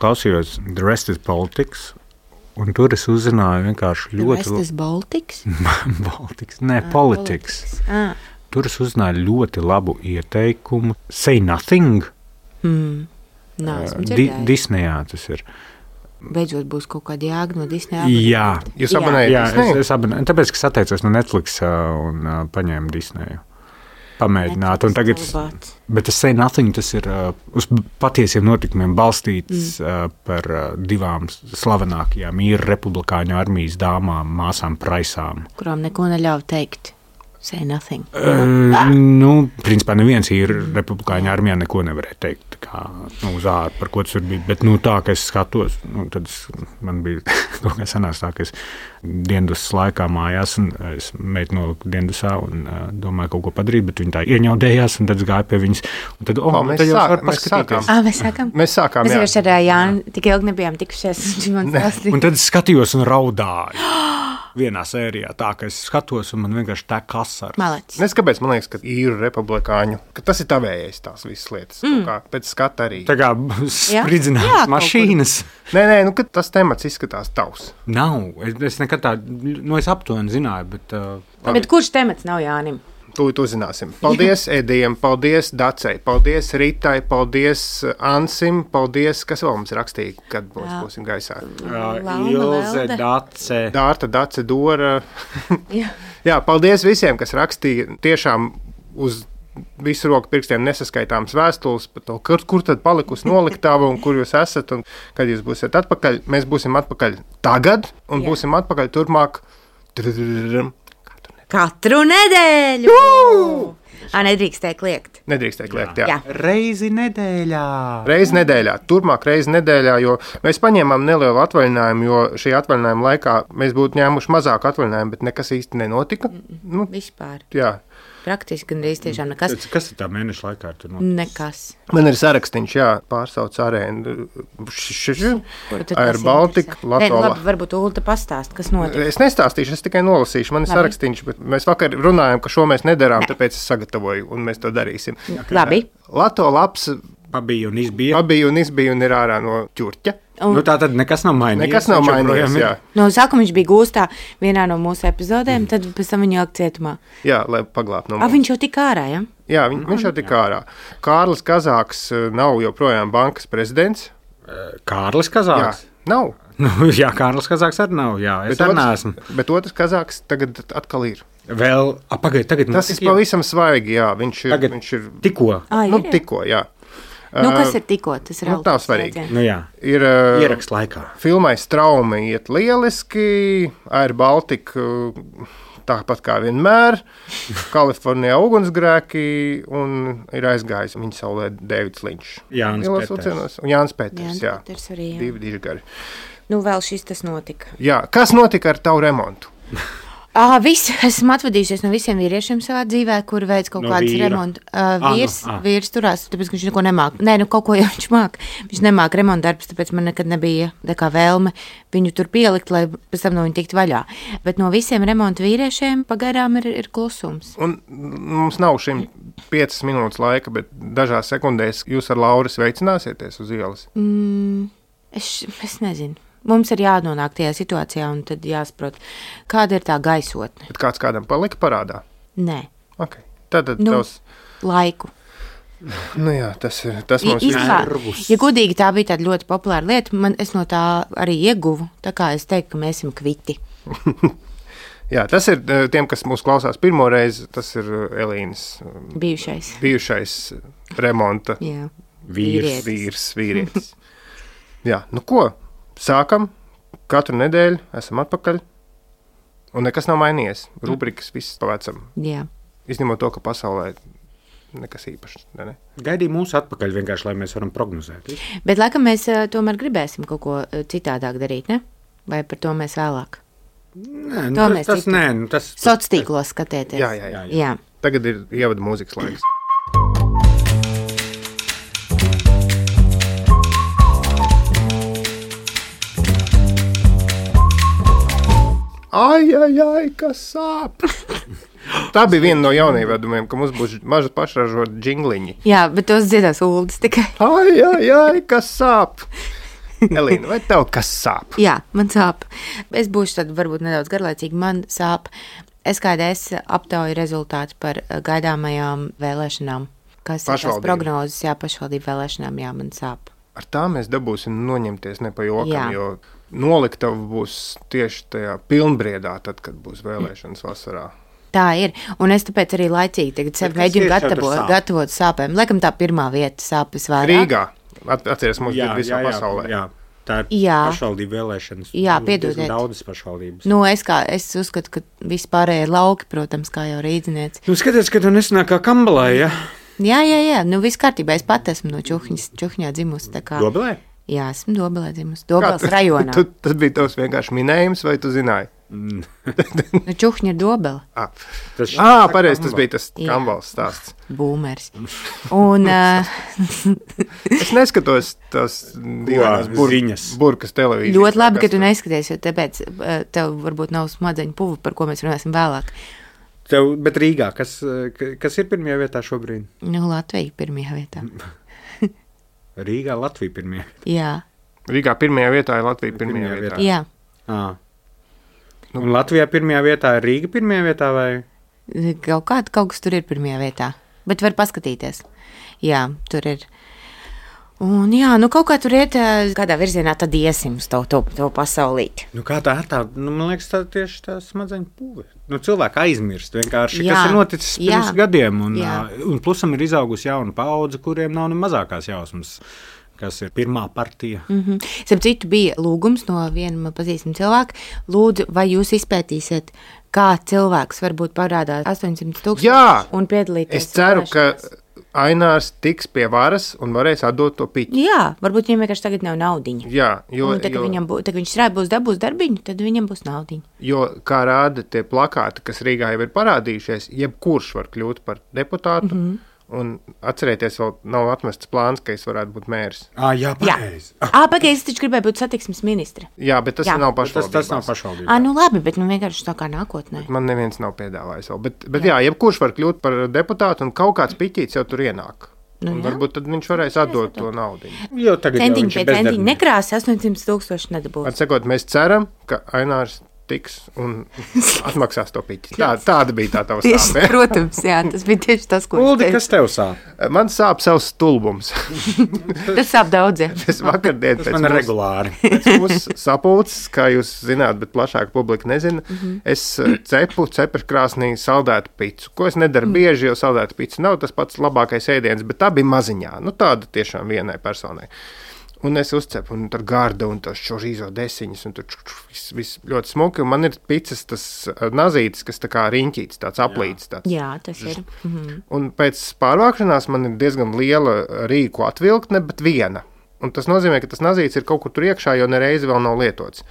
klausījos The Rest is Politics, un tur es uzzināju vienkārši ļoti... The Rest is Baltics? Baltics, nē, Politics. Tur es uzzināju ļoti labu ieteikumu. Say Nothing. Esmu dzirdējusi. Disneyā tas ir. Beidzot būs kaut kāda jēga no Disneya. Jā. Jūs abonējat Disneyu? Es abonēju, tāpēc, ka es atteicos no Netflix un paņēmu Disneyu. Pamēģināt. Un tagad, bet tas Say Nothing, tas ir uz patiesiem notikumiem balstīts par divām slavenākajām īru republikāņu armijas dāmām, māsām Praisām. Kurām neko neļauj teikt. Say Nothing. Principā neviens īru republikāņu armijā neko nevarēja teikt kā, uz āru, par ko tas tur bija. Bet tā, ka es skatos, tad man bija kaut kā sanās tā, ka es diendusas laikā mājās, un es meitu noliku diendusā un domāju kaut ko padarīt, bet viņi tā ieņaudējās, un tad es gāju pie viņas. Un tad, tad jau var paskatīties. Mēs sākām, jā. Mēs ar Jāni tik ilgi nebijām tikušies. Un tad es skatījos un raudāju. Vienā sērijā tā, ka es skatos, un man vienkārši tā kasara. Malacis. Nes kāpēc man liekas, ka īru republikāņu, ka tas ir tavējais tās visas lietas. Kā pēc skata arī. Tā kā spridzināt mašīnas. Nē, ka tas temats izskatās tavs. Nav. Es nekad tā, es aptuveni zināju, bet... Bet kurš temats nav Jānim? Tūlīt uzzināsim. Paldies Edijam, paldies Dacei, paldies Ritai, paldies Ansim, paldies, kas vēl mums rakstīja, kad būsim gaisā? Ilze, Dace. Dārta, Dace, Dora. Jā, paldies visiem, kas rakstīja tiešām uz visu roku pirkstiem nesaskaitāmas vēstules par to, kur tad palikusi noliktava un kur jūs esat un kad jūs būsiet atpakaļ. Mēs būsim atpakaļ tagad un būsim atpakaļ turpmāk. Katru nedēļu! Nedrīkstēja kliegt. Nedrīkstēja kliegt, jā. Reizi nedēļā. Reizi nedēļā, turpmāk reizi nedēļā, jo mēs paņēmām nelielu atvaļinājumu, jo šī atvaļinājuma laikā mēs būtu ņēmuši mazāku atvaļinājumu, bet nekas īsti nenotika. Vispār. Jā. Praktiski gandrīz tiešām nekas. Kas ir tā mēneša laikā? Nekas. Man ir sarakstīns, pārsauc arēnu. Air Baltica, Latola. Labi, varbūt Ulta pastāst, kas notika. Es nestāstīšu, es tikai nolasīšu. Man ir sarakstīns, bet mēs vakar runājam, ka šo mēs nedarām, tāpēc es sagatavoju, un mēs to darīsim. Labi. Latola labs. Pabija un izbija. Un ir ārā no ķurķa. Tā tad nekas nav mainījies. Nekas nav mainījies, jā. No sākuma viņš bija gūstā vienā no mūsu epizodēm, tad pēc tam viņu ielikt cietumā. Jā, lai paglābtu no mums. Viņš jau tika ārā, ja? Jā, viņš jau tika ārā. Kārlis Kazāks nav joprojām bankas prezidents. Kārlis Kazāks? Jā, nav. Jā, Kārlis Kazāks arī nav, jā. Es arī neesmu. Bet otrs Kazāks tagad atkal ir. Vēl, tagad tas ir pavisam svaigi, jā. Viņš ir tikko. Tikko, jā. Kas ir tikko? Tas ir tā svarīgi. Ir ierakst laikā. Filmai Straumi iet lieliski, Air Baltica tāpat kā vienmēr, Kalifornijā ugunsgrēki un ir aizgājis viņa saulē Deivids Linčs. Jānis Pēters, jā. Divi dižgari. Vēl šis tas notika. Jā, kas notika ar tavu remontu? Esmu atvadījusies no visiem vīriešiem savā dzīvē, kur veids kaut kādas remontu. Vīrs turās, tāpēc, ka viņš neko nemāk. Nē, kaut ko jau viņš māk. Viņš nemāk remontu darbus, tāpēc man nekad nebija tā kā vēlme viņu tur pielikt, lai pēc tam no viņa tikt vaļā. Bet no visiem remontu vīriešiem pagaidām ir klusums. Un mums nav šim 5 minūtes laika, bet dažās sekundēs jūs ar Lauru sveicināsieties uz ielas? Es nezinu. Mums ir jānonāk tajā situācijā, un tad jāsaprot, kāda ir tā gaisotne. Bet kāds kādam palika parādā? Nē. Okay. Tad laiku. Jā, tas mums ir nervus. Ja godīgi, tā bija tāda ļoti populāra lieta, es no tā arī ieguvu, tā kā es teiktu, ka mēs esam kviti. Jā, tas ir tiem, kas mūs klausās pirmo reizi, tas ir Elīnas bijušais remonta vīrietis. Jā, ko? Sākam, katru nedēļu esam atpakaļ, un nekas nav mainījies. Rubrikas viss pavecam. Jā. Izņemot to, ka pasaulē nekas īpašs. Ne? Gaidīja mūs atpakaļ vienkārši, lai mēs varam prognozēt. Bet laikam mēs tomēr gribēsim kaut ko citādāk darīt, ne? Vai par to mēs vēlāk? Nē, tas sociālos skatieties. Jā. Tagad ir ievada mūzikas laiks. Ai, kas sāp! Tā bija viena no jaunievedumiem, ka mums būs maža pašražota džingliņi. Jā, bet tos dziedās Uldis tikai. Ai, kas sāp! Elīna, vai tev kas sāp? Jā, man sāp. Es būšu tad varbūt nedaudz garlaicīgi. Man sāp SKDS aptauju rezultāti par gaidāmajām vēlēšanām. Kas ir tās prognozes, jā, pašvaldību vēlēšanām, jā, man sāp. Ar tā mēs dabūsim noņemties ne pa jokam, jo noliktava būs tieši tajā pilnbriedā, tad, kad būs vēlēšanas vasarā. Tā ir, un es tāpēc arī laicīgi tagad sev mēģinu gatavot sāpēm. Laikam tā pirmā vieta sāpes vairāk. Rīgā, atceries, mums ir visā pasaulē. Jā. Tā ir pašvaldību vēlēšanas. Jā, piedodiet. Daudzas pašvaldības. Nu, es uzskatu, ka vispārējie ir lauki, protams, kā jau rīdzinieci. Nu, skaties, ka tu nesanāk kā Kambalē, ja? Jā, nu viss kārtībā, es pat esmu no Čuhņā dzimusi. Dobelē? Jā, esmu Dobelē dzimusi, Dobeles rajonā. Tas bija tavs vienkārši minējums, vai tu zināji? Nu, Čuhņa ir Dobele. Pareizi, tas bija tas Kambals stāsts. Būmers. Un es neskatos tās divās burkas televīzijas. Ļoti labi, ka tu neskaties, jo tāpēc tev varbūt nav smadzeņu puva, par ko mēs runāsim vēlāk. Bet Rīgā, kas ir pirmajā vietā šobrīd? Nu, Latvija pirmajā vietā. Rīgā Latvija pirmajā vietā? Jā. Rīgā pirmajā vietā ir Latvija pirmajā vietā? Jā. Un Latvijā pirmajā vietā ir Rīga pirmajā vietā vai? Kaut kas tur ir pirmajā vietā, bet var paskatīties. Jā, tur ir. Un jā, nu kaut kā tur iet, kādā virzienā tad iesim uz to pasaulīti. Nu kā tā, man liekas, tā tieši tā smadzeņu puve. Nu cilvēki aizmirst vienkārši, kas ir noticis pirms gadiem, un plusam ir izaugusi jauna paudze, kuriem nav ne mazākās jausmas, kas ir pirmā partija. Starp citu bija lūgums no viena pazīstama cilvēka. Lūdzu, vai jūs izpētīsiet, kā cilvēks varbūt parādāt 800,000 un piedalīties? Es ceru, ka Ainārs tiks pie varas un varēs atdot to piķi. Jā, varbūt viņam vienkārši tagad nav naudiņa. Jā, tad viņš dabūs darbiņu, tad viņam būs naudiņa. Jo, kā rāda tie plakāti, kas Rīgā jau ir parādījušies, jebkurš var kļūt par deputātu. Un atcerieties, vēl nav atmests plāns, ka es varētu būt mērs. Jā, pareizi. Pagaidzi, es taču gribēju būt satiksmes ministre. Jā, bet tas nav pašvaldībās. Tas nav pašvaldībās. Nu labi, bet vienkārši tā kā nākotnē. Man neviens nav piedāvājis vēl. Bet jā, jebkurš var kļūt par deputātu un kaut kāds piķīts jau tur ienāk. Un varbūt tad viņš varēs atdot to naudu. Centiņi pie centiņi nekrās, 800,000 nedabūs. Atsakot, mēs ceram, ka Ainārs tiks un atmaksās to piķi. Tāda bija tā tava sāpe. Protams, jā, tas bija tieši tas, ko Uldi, kas tev sāp? Man sāp savs stulbums. Tas sāp daudziem. Es vakardien pēc regulāri. Pēc mūsu sapulces, kā jūs zināt, bet plašāka publika nezina, es cepu cepeškrāsnī saldētu picu. Ko es nedaru bieži, jo saldētu pica nav tas pats labākais ēdiens, bet tā bija maziņā. Nu, tāda tiešām vienai personai. Un es uzcepu, un tur garda, un tas šorīzo desiņas, un tur viss ļoti smuki. Un man ir picas tas nazītis, kas tā kā riņķīts, tāds aplīts. Jā, tas ir. Un pēc pārvākšanās man ir diezgan liela rīku atvilktne, bet viena. Un tas nozīmē, ka tas nazītis ir kaut kur tur iekšā, jo nereizi vēl nav lietots.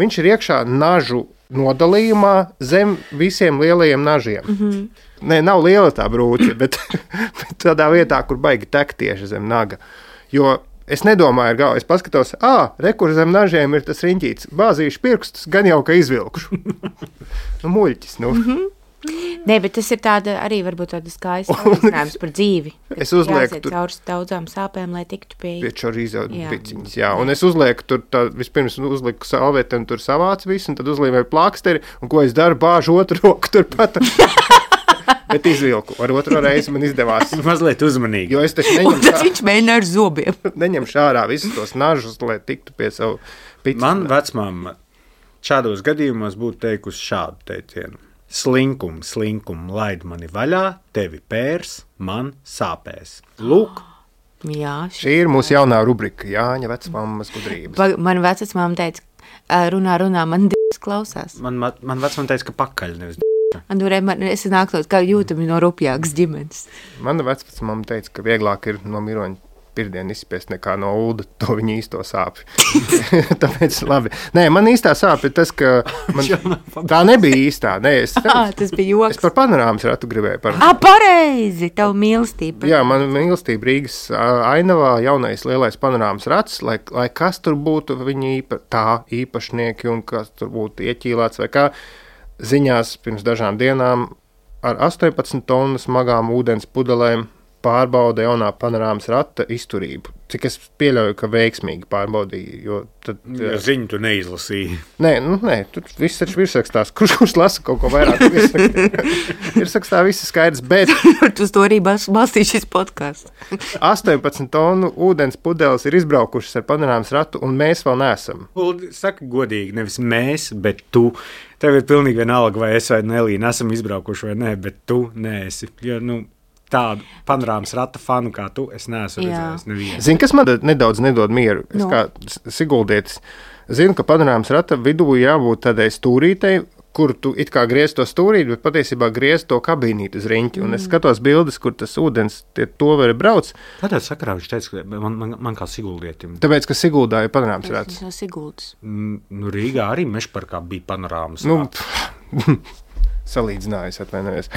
Viņš ir iekšā nažu nodalījumā zem visiem lielajiem nažiem. Nē, nav liela tā brūce, bet tādā vietā, kur baigi tek tieši zem naga. Jo es nedomāju ar galvu, es paskatos, kur zem nažiem ir tas riņķīts, bāzīšu pirkstus, gan jau, ka izvilkšu. Muļķis, Nē, bet tas ir tāda arī varbūt tāda skaista salīdzinājums par dzīvi. Es uzlieku tur caur daudzām sāpēm, lai tiktu pie čorizo piciņas, jā. Un es uzlieku tur, vispirms uzliku salveti un tur savāc visu, un tad uzlīmēju plāksteri, un ko es daru, bāžu otru roku tur pat. Bet izvilku. Ar otro reizi man izdevās. Mazliet uzmanīgi. Jo es taču neņemšu ārā. Viņš mēģina ar zobiem. Neņemšu ārā visus tos nažus, lai tiktu pie savu pici. Man vecmāma šādos gadījumos būtu teikusi šādu teicienu. Slinkum, laid mani vaļā, tevi pērs, man sāpēs. Lūk. Jā, šī ir mūsu jaunā rubrika, Jāņa vecmāmas gudrības. Man vecmāma teica, runā, man d***s klausās. Man vecmāma teica, ka pakaļ nevis d***. Es nāktos, kā jūtami no rupjākas ģimenes. Mana vecmāma teica, ka vieglāk ir no miroņa pirdienu izspiest nekā no ulda to viņa īsto sāpi. Tāpēc labi. Nē, man īstā sāpe ir tas, ka tā nebija īstā. Nē, tas bija joks. Es par panorāmas ratu gribēju. Pareizi, tavu mīlestību. Jā, man mīlestība Rīgas ainavā, jaunais lielais panorāmas rats, lai kas tur būtu viņa īpašnieki un kas tur būtu ieķīlāts vai kā. Ziņās pirms dažām dienām ar 18 tonu smagām ūdens pudelēm pārbauda jaunā panorāmas rata izturību. Cik es pieļauju, ka veiksmīgi pārbaudīja, jo tad... Ja ziņu tu neizlasīji. Nē, tur viss taču virsrakstās. Kurš lasa kaut ko vairāk? Virsrakstā viss ir skaidrs, bet... Tu to arī balstīji šis podcasts. 18 tonu ūdens pudeles ir izbraukušas ar panorāmas ratu, un mēs vēl neesam. Saka godīgi, nevis mēs, bet tu. Tev ir pilnīgi vienalga, vai es vai Nelīna esam izbraukuši vai nē, bet tu neesi. Jo, tādu panorāmas rata fanu kā tu, es neesmu redzējis nevienu. Zini, kas man nedaudz nedod mieru? Es kā siguldietis zinu, ka panorāmas rata vidū jābūt tādai stūrītei, kur tu it kā griez to stūrīti, bet patiesībā griez to kabīnīti uz riņķi. Un es skatos bildes, kur tas ūdens to var brauc. Kādā sakarā viņš teica, ka man kā siguldietim? Tāpēc, ka Siguldā ir panorāmas rats. No Siguldas. Rīgā arī Mežparkā bija panorāmas rats. Salīdzinājis, atvainojos.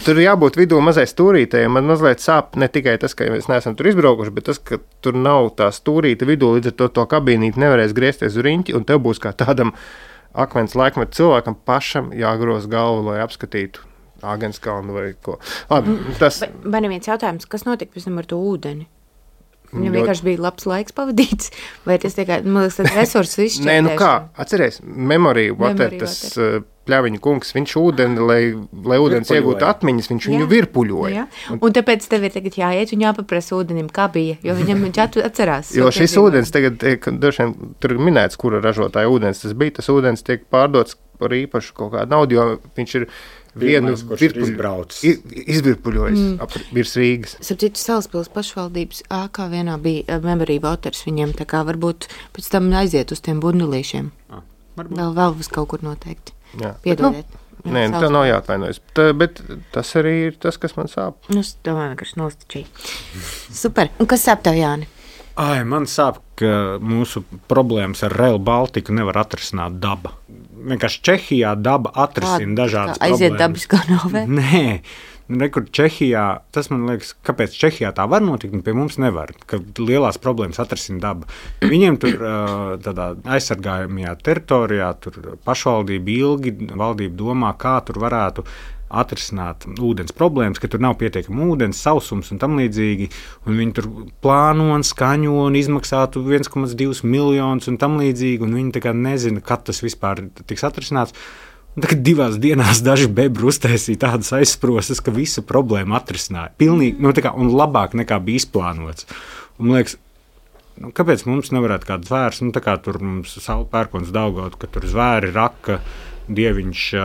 Tur jābūt vidū mazai stūrītei. Man mazliet sāp ne tikai tas, ka mēs neesam tur izbraukuši, bet tas, ka tur nav tā stūrīte vidū, līdz ar to kabīnīti nevarēs griezties uz riņķi, un tev būs kā tādam akmens laikmetu cilvēkam pašam jāgroz galvu, lai apskatītu Āgenskalnu vai ko. Labi, tas... Vai neviens jautājums, kas notika pēc tam ar to ūdeni? Viņam vienkārši bija labs laiks pavadīts, vai tas tikai, man liekas, tāds resursu izšķirtēšana? Nē, kā, atceries, Memory Water, tas pļaviņu kungs, viņš ūdeni, lai ūdens iegūtu atmiņas, viņš viņu virpuļoja. Jā. Un tāpēc tev ir tagad jāiet un jāpaprasa ūdenim, kā bija, jo viņš atcerās. Jo šis ūdens tagad, tur ir minēts, kura ražotāja ūdens tas bija, tas ūdens tiek pārdots par īpašu kaut kādu naudu, jo viņš ir vienu izvirpuļojis virs Rīgas. Sapratu, Salaspils pašvaldības ākā vienā bija Memory Waters, viņiem tā kā varbūt pēc tam aiziet uz tiem bundulīšiem. Vēl uz kaut kur noteikti. Piedodiet. Nē, tā nav jāatvainojas. Bet tas arī ir tas, kas man sāp. Es domāju, ka es nostačīju. Super. Un kas sāp tev, Jāni? Man sāp, ka mūsu problēmas ar Rail Baltiku nevar atrisināt daba. Vienkārši Čehijā daba atrisina dažādas problēmas. Aiziet dabiskā novē? Nē, rekur Čehijā, tas man liekas, kāpēc Čehijā tā var notikt, un pie mums nevar, ka lielās problēmas atrisina daba. Viņiem tur tādā aizsargājumajā teritorijā, tur pašvaldība ilgi, valdība domā, kā tur varētu atrisināt ūdens problēmas, ka tur nav pietiekama ūdens, sausums un tam līdzīgi, un viņi tur plāno un skaņo un izmaksātu 1,2 miljonus un tam līdzīgi, un viņi tā kā nezina, kad tas vispār tiks atrisināts. Un tagad 2 dienās daži bebri uztaisīja tādas aizsprostas, ka visu problēmu atrisināja. Pilnīgi, tā kā, un labāk nekā bija izplānots. Un man liekas, kāpēc mums nevarētu kāds zvērs, tā kā tur mums Saula Pērkons Daugavā, ka tur zvēri raka, Dieviņš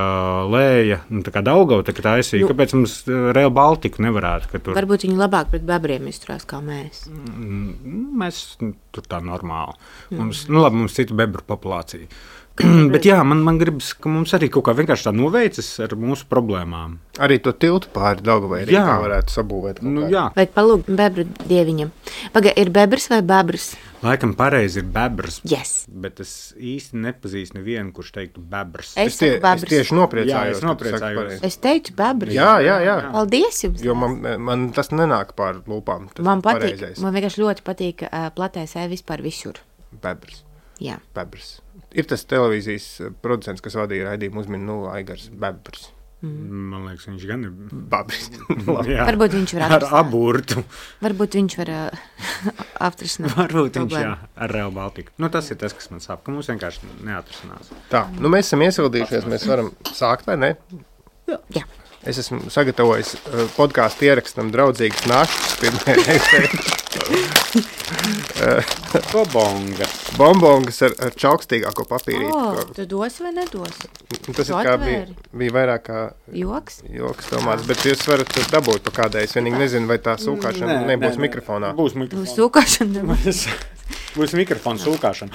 lēja, tā kā Daugava tā aizsīja. Kāpēc mums Rail Baltiku nevarētu? Varbūt viņi labāk pret bebriem izturās kā mēs. Mēs tur tā normāli. Mums cita bebru populācija. Bet jā, man gribas, ka mums arī kaut kā vienkārši tā noveicas ar mūsu problēmām. Arī to tiltu pāri Daugavai arī kā varētu sabūvēt. Vai palūgt bebru dieviņam. Ir bebrs vai bebrs? Laikam pareizi ir bebrs, yes. Bet es īsti nepazīstu nevienu, kurš teiktu bebrs. Es tieši nopriecājos. Es teicu bebrs. Jā. Paldies jums. Jo man tas nenāk pār lūpām. Man patīk, man vienkārši ļoti patīk platēs vispār visur. Bebrs. Jā. Bebrs. Ir tas televīzijas producents, kas vadīja raidījumu uzminu Aigars Bebrs. Man liekas, viņš gan ir Bebrs. Varbūt viņš var ar aburtu. Varbūt viņš var atrisināt. Varbūt viņš, ar Rail Baltiku. Tas ir tas, kas man sāp, ka mums vienkārši neatrisinās. Tā, mēs esam iesildījušies, mēs varam sākt, vai ne? Jā. Es esmu sagatavojis podkāstu ierakstam draudzīgas našas pirmajai reizei. Bombongas ar čaukstīgāko papīrīti. Tu dos vai nedos? Tas ir kā bija vairāk kā joks domāts, bet jūs varat dabūt pa kādai. Es vienīgi nezinu, vai tā sūkāšana nebūs mikrofonā. Būs mikrofons. Sūkāšana būs mikrofons sūkāšana.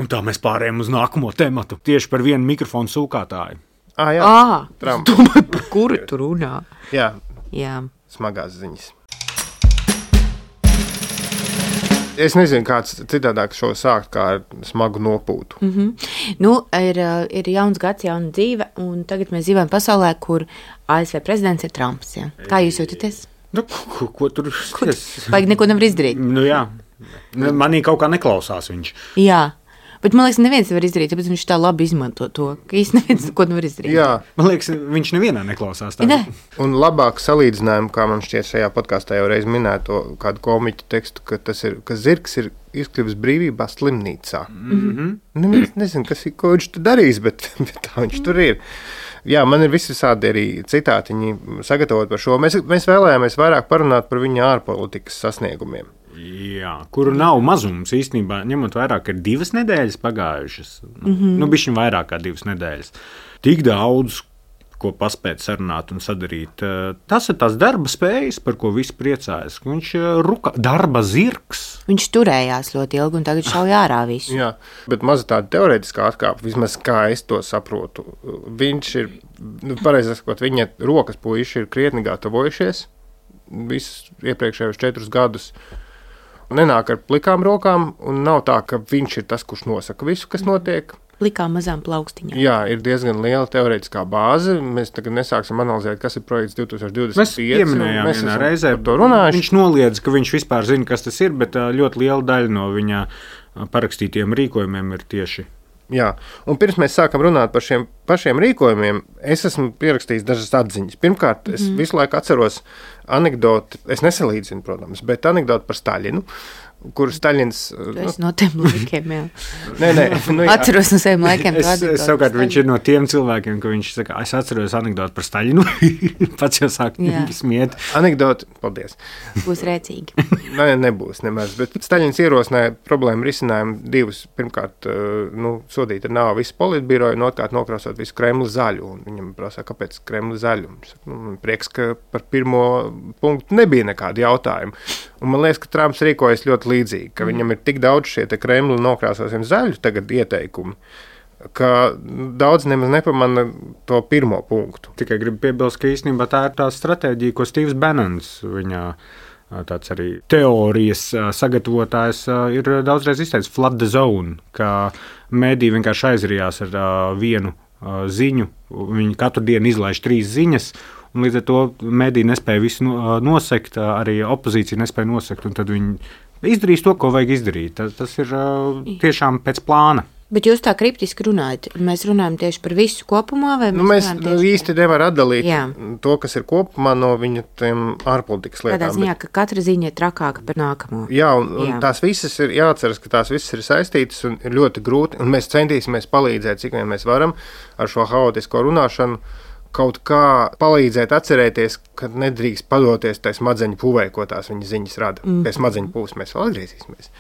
Un tā mēs pārējām uz nākamo tematu. Tieši par vienu mikrofonu sūkātāju. Domāju, par kuru tu runā? Jā. Smagās ziņas. Es nezinu, kāds citādāk šo sākt, kā ar smagu nopūtu. Ir jauns gads, jauna dzīve, un tagad mēs dzīvojam pasaulē, kur ASV prezidents ir Trumps. Ja? Kā jūs jūtaties? Ko tur? Vajag neko nevar izdarīt. Jā. Manī kaut kā neklausās viņš. Jā. Bet man liekas, neviens nevar izdarīt, tāpēc viņš tā labi izmanto to, ka īsti neviens ko nevar izdarīt. Jā. Man liekas, viņš nevienā neklausās tā. Ne. Un labāk salīdzinājumu, kā man šķiet šajā podkāstā jau reiz minēto kādu komiķu tekstu, ka zirgs ir izkļuvis brīvībā slimnīcā. Neviens nezinu, ko viņš tur darīs, bet tā viņš tur ir. Jā, man ir visādi arī citātiņi sagatavot par šo. Mēs vēlējāmies vairāk parunāt par viņa ārpolitikas sasniegumiem. Jā, kuru nav mazums īstenībā, ņemot vērā, ka ir 2 nedēļas pagājušas. Nu, bišķiņ vairāk kā 2 nedēļas. Tik daudz, ko paspēt sarunāt un sadarīt. Tas ir tās darba spējas, par ko visi priecājas. Viņš ir darba zirgs. Viņš turējās ļoti ilgi un tagad šauj ārā visu. Jā, bet maza tāda teorētiskā atkāpe, vismaz kā es to saprotu. Viņš ir, pareizi sakot, viņa rokas puiši ir krietni gatavojušies visus iepriekšējos 4 gadus. Nenāk ar plikām rokām, un nav tā, ka viņš ir tas, kurš nosaka visu, kas notiek. Plikām mazām plaukstiņām. Jā, ir diezgan liela teorētiskā bāze. Mēs tagad nesāksim analizēt, kas ir projekts 2025. Mēs pieminējām vienā reizē par to runājuši. Viņš noliedz, ka viņš vispār zina, kas tas ir, bet ļoti liela daļa no viņa parakstītiem rīkojumiem ir tieši. Jā, un pirms mēs sākam runāt par šiem pašiem rīkojumiem, es esmu pierakstījis dažas atziņas. Pirmkārt, es visu laiku atceros anekdoti, es nesalīdzinu, protams, bet anekdoti par Staļinu, kur Staļins... Es no tiem laikiem, jā. Nē, atceros no saviem laikiem. Savukārt viņš ir no tiem cilvēkiem, ka viņš saka, es atceros anekdoti par Staļinu, pats jau sāk smiet. Anekdoti, paldies. Būs rēcīgi. Nebūs nemaz, bet Staļins ierosināja problēmu risinājumu 2. Pirmkārt, sodīt ar nāvu visu politbiroju, un otrkārt nokrāsot visu Kremli zaļu. Un viņam prasā, kāpēc Kremli zaļu? Prieks, ka par pirmo punktu nebija nekādi jautājumi. Un man liekas, ka Trumps rīkojas ļoti līdzīgi, ka viņam ir tik daudz šie Kremli nokrāsosim zaļu tagad ieteikumi, ka daudz nemaz nepamana to pirmo punktu. Tikai gribu piebilst, ka īstenībā tā ir tā stratēģija, ko Steve's Bannons, viņa tāds arī teorijas sagatavotājs, ir daudzreiz izteicis flood the zone, ka mediji vienkārši aizrijās ar vienu ziņu, viņi katru dienu izlaiž 3 ziņas, un līdz ar to mediji nespēja visu nosekt, arī opozīcija nespēja nosekt, un tad viņi izdarīs to, ko vajag izdarīt. Tas ir tiešām pēc plāna. Bet jūs tā kriptiski runājat. Mēs runājam tieši par visu kopumā? Vai mēs īsti nevar atdalīt to, kas ir kopumā no viņa tiem ārpolitikas lietām. Tādā ziņā, ka katra ziņa ir trakāka par nākamo. Jā, un tās visas ir jāatceras, ka tās visas ir saistītas un ir ļoti grūti, un mēs centīsimies palīdzēt, cik vien mēs varam ar šo haotisko runāšanu, kaut kā palīdzēt atcerēties, ka nedrīkst padoties tai smadzeņu pūvei, ko tās viņa ziņas rada. Pie smadzeņu pūves mēs vēl atgriezīsimies.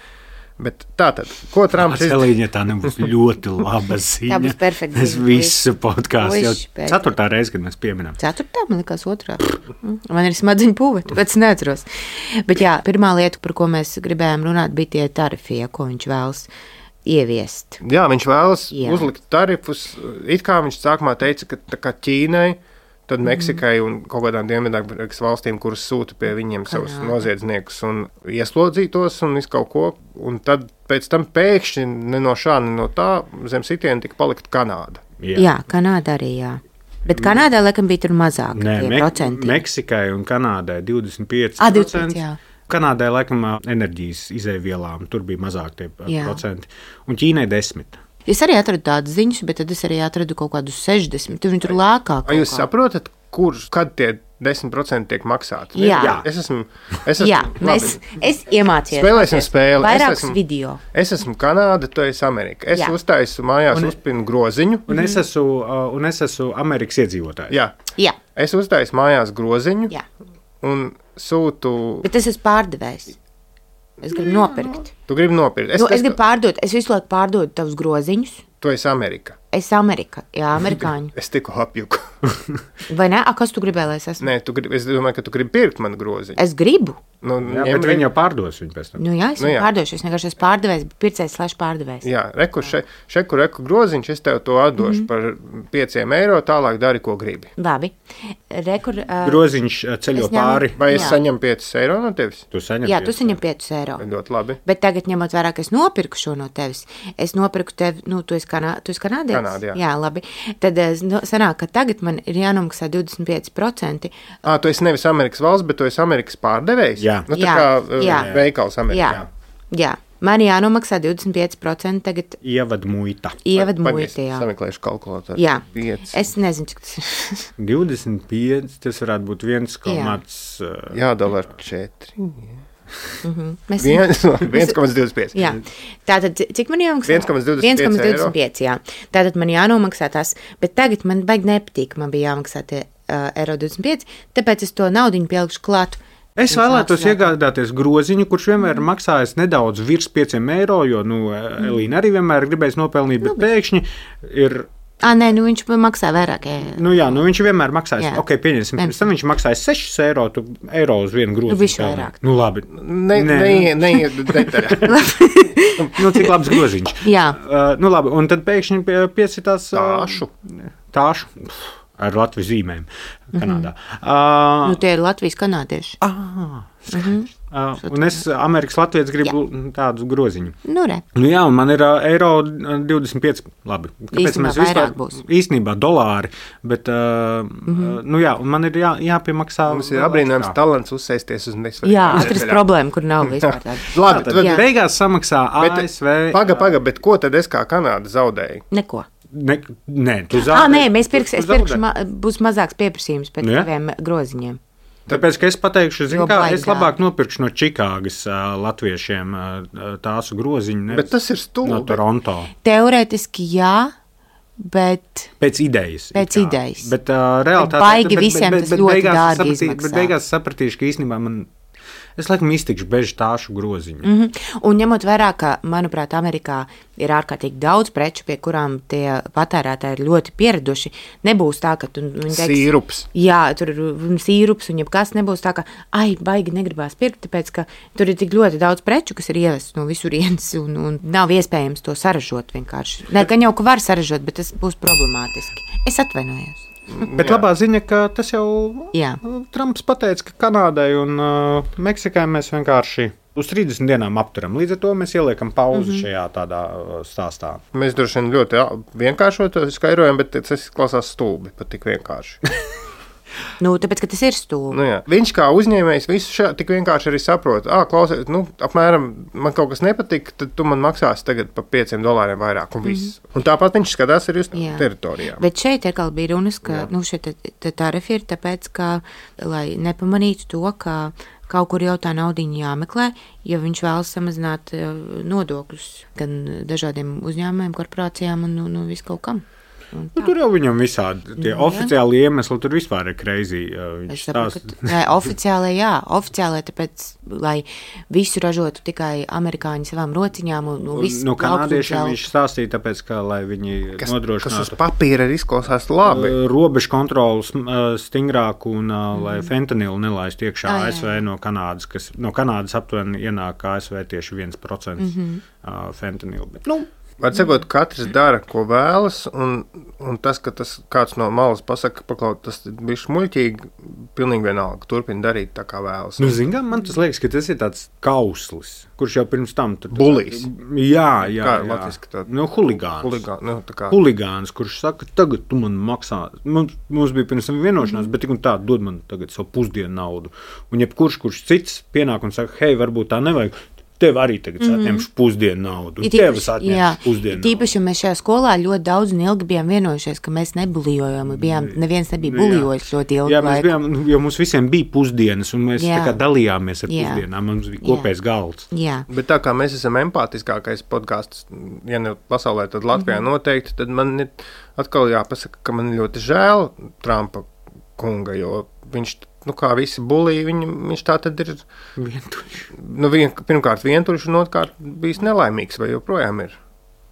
Bet tātad, ko Trumps izdarīja? Tā nebūs ļoti laba ziņa. Tā būs perfekta ziņa. Es visu podkāstu jau 4. reizi, kad mēs pieminam. 4. man likās 2. Man ir smadzeņu pūve, tāpēc neatceros. Bet jā, pirmā lieta, par ko mēs gribējām runāt, bija tie tarifi, ko viņš vēlas ieviest. Jā, viņš vēlas uzlikt tarifus. It kā viņš sākumā teica, ka tā kā Ķīnai, tad Meksikai un kaut kādām Dienvidamerikas valstīm, kuras sūta pie viņiem savus noziedzniekus un ieslodzītos un visu kaut ko. Un tad pēc tam pēkšņi ne no šā, ne no tā zem sitiena tika palikt Kanāda. Jā, Kanāda arī, jā. Bet Kanādā, laikam, bija tur mazāk procenti. Meksikai un Kanādai 25%. 25%, jā. Kanādai, laikam, enerģijas izēvielām tur bija mazāk tie procenti. Un Ķīnai 10%. Es arī atradu tādas ziņas, bet tad es arī atradu kaut kādus 60%. Tur viņi tur lēkāk. Vai jūs saprotat, kad tie 10% tiek maksāti? Jā. Es esmu es iemācījos. Spēlēsim spēli. Vairākus video. Es esmu Kanāda, tu esi Amerika. Es uztaisu mājās uzpinu groziņu. Un es esmu Amerikas iedzīvotājs. Jā. Es uztaisu mājās groziņu un sūtu. Bet es esmu pārdevējs. Es gribu nopirkt. Tu gribi nopirkt? Es gribu pārdot. Es visu laiku pārdodu tavus groziņus. Tu esi Amerika. Es esmu Amerika. Jā, amerikāņu. Es tikko apjuku. Vai ne? Kas tu gribēji, lai es esmu? Nē, es domāju, ka tu gribi pirkt manu groziņu. Es gribu. Bet viņi jau pārdos viņu pēc tam. Es viņu pārdošu. Es vienkārši esmu pārdevējs, pircējs / pārdevējs. Jā, reku groziņš, es tev to atdošu par 5 eiro, tālāk dari, ko gribi. Labi. Groziņš ceļo pāri. Vai es saņemu 5 eiro no tevis? Tu saņem tu saņem 5 eiro. Ļoti labi. Bet tagad, ņemot vērā, ka es nopirku šo no tevis, es nopirku tevi, tu esi kanādietis? Kanāda, jā. Jā, labi. Tad sanāk, ka tagad man ir jānomaksā 25%. Tu esi nevis Amerikas valsts, bet tu esi Amerikas pārdevējs? Jā. Tā kā veikals Amerikā. Jā. Man jānomaksā 25% tagad. Ievadmuita. Ievadmuita, jā. Sameklēšu kalkulātoru. Jā. 5. Es nezinu, cik tas ir. 25, tas varētu būt 1,4. Jādala ar 4. 1,25. Jā. Tātad, cik man jāmaksā? 1,25, jā. Tātad man jānomaksā tas, bet tagad man baigi nepatīk, man bija jāmaksā tie €25, tāpēc es to naudiņu pielikšu klāt. Es vēlētos iegādāties groziņu, kurš vienmēr maksājas nedaudz virs €5, jo, Elīna arī vienmēr gribēs nopelnīt, bet pēkšņi ir... Nē, viņš maksā vairāk. Jā, viņš vienmēr maksājas. Ok, pieņemsim, pēc tam viņš maksājas €6, tu eiro uz vienu groziņu. Viņš vairāk. Labi. Neiet detaļā. Cik labs groziņš. Jā. Labi, un tad pēkšņi piesitās... Tāšu. Ar Latvijas zīmēm Kanādā. Tie ir Latvijas kanādieši. Un es, Amerikas latvietis, gribu tādu groziņu. Jā, un man ir €25. Labi. Kāpēc mēs vispār būs? Īstenībā dolāri, bet, jā, un man ir jāpiemaksā. Mums ir abrīnojams talants uzsēsties uz nesvarīgu. Jā, atrast problēmu, kur nav vispār tāda. Labi, tad beigās samaksā ASV. Paga, bet ko tad es kā Kanāda zaudēju? Neko. Nē, tu zaudēji. Nē, es pirkšu, būs mazāks pieprasījums pēc taviem groziņiem. Tāpēc, ka es pateikšu, es labāk nopirkšu no Čikāgas latviešiem tāsu groziņu. Bet tas ir stulbi. No Toronto. Teorētiski jā, bet... Pēc idejas. Bet realitāte... Baigi visiem tas ļoti dārgi izmaksā. Bet beigās sapratīšu, ka īstenībā man... Es laikam iztikšu bez tāšu groziņu. Un ņemot vērā, ka, manuprāt, Amerikā ir ārkārtīgi daudz preču, pie kurām tie patērētāji ir ļoti pieraduši, nebūs tā, ka tu... Sīrups. Jā, tur ir sīrups un jebkas nebūs tā, ka, baigi negribās pirkt, tāpēc, ka tur ir tik ļoti daudz preču, kas ir ievests no visurienes un nav iespējams to saražot vienkārši. Nē, gan jau, ka var saražot, bet tas būs problemātiski. Es atvainojos. Bet labā ziņa, ka tas jau Trumps pateica, ka Kanādai un Meksikai mēs vienkārši uz 30 dienām apturam. Līdz ar to mēs ieliekam pauzi šajā tādā stāstā. Mēs droši vien ļoti vienkāršot skaidrojam, bet tas klausās stulbi, pat tik vienkārši. Tāpēc, ka tas ir stulbi. Viņš kā uzņēmējs visu tik vienkārši arī saprot. Klausies, apmēram man kaut kas nepatīk, tad tu man maksāsi tagad par $5 vairāk un viss. Un tāpat viņš skatās arī uz teritorijām. Bet šeit atkal bija runas, ka šie tarifi ir tāpēc, ka, lai nepamanītu to, ka kaut kur jau tā naudiņa jāmeklē, jo viņš vēlas samazināt nodokļus gan dažādiem uzņēmumiem, korporācijām un visu kaut kam. Tur jau viņam visādi tie oficiāli iemesli, tur vispār ir crazy. Oficiāli, tāpēc, lai visu ražotu tikai amerikāņi savām rociņām un viss. No kanādiešiem viņš stāstīja, tāpēc, ka, lai viņi nodrošinātu. Kas uz papīra arī izklausās labi. Robežu kontrolas stingrāku un lai fentanilu nelaistu iekšā ASV no Kanādas, kas no Kanādas aptuveni ienāk ASV tieši 1% fentanilu. Bet, Var sakot, katrs dara, ko vēlas, un tas, ka tas kāds no malas pasaka, paklaut, tas bija šmuļķīgi, pilnīgi vienalga, turpina darīt tā, kā vēlas. Man tas liekas, ka tas ir tāds kauslis, kurš jau pirms tam... Bullijs. Jā. Kā latviski tāda? Huligāns. Huligāns, kurš saka, tagad tu man maksā. Mums bija pirms tam vienošanās, bet tik un tā dod man tagad savu pusdienu naudu. Un jebkurš cits pienāk un saka, hei, varbūt tā nevajag. Tev arī tagad atņemšu pusdienu naudu. Tevas atņemšu pusdienu naudu. Tīpaši, jo mēs šajā skolā ļoti daudz un ilgi bijām vienojušies, ka mēs nebulijojam. Neviens nebija bulijojis ļoti ilgi. Jā, mēs bijām, jo mums visiem bija pusdienas, un mēs tā kā dalījāmies ar pusdienām. Mums bija kopējs galds. Jā. Bet tā kā mēs esam empātiskākais podcasts, ja ne pasaulē, tad Latvijā noteikti, tad man ir atkal jāpasaka, ka man ļoti žēl Trumpa kunga, jo viņš... kā visi bulī, viņš tā tad ir vientuļš. Pirmkārt vientuļš un otrkārt bijis nelaimīgs, vai joprojām ir.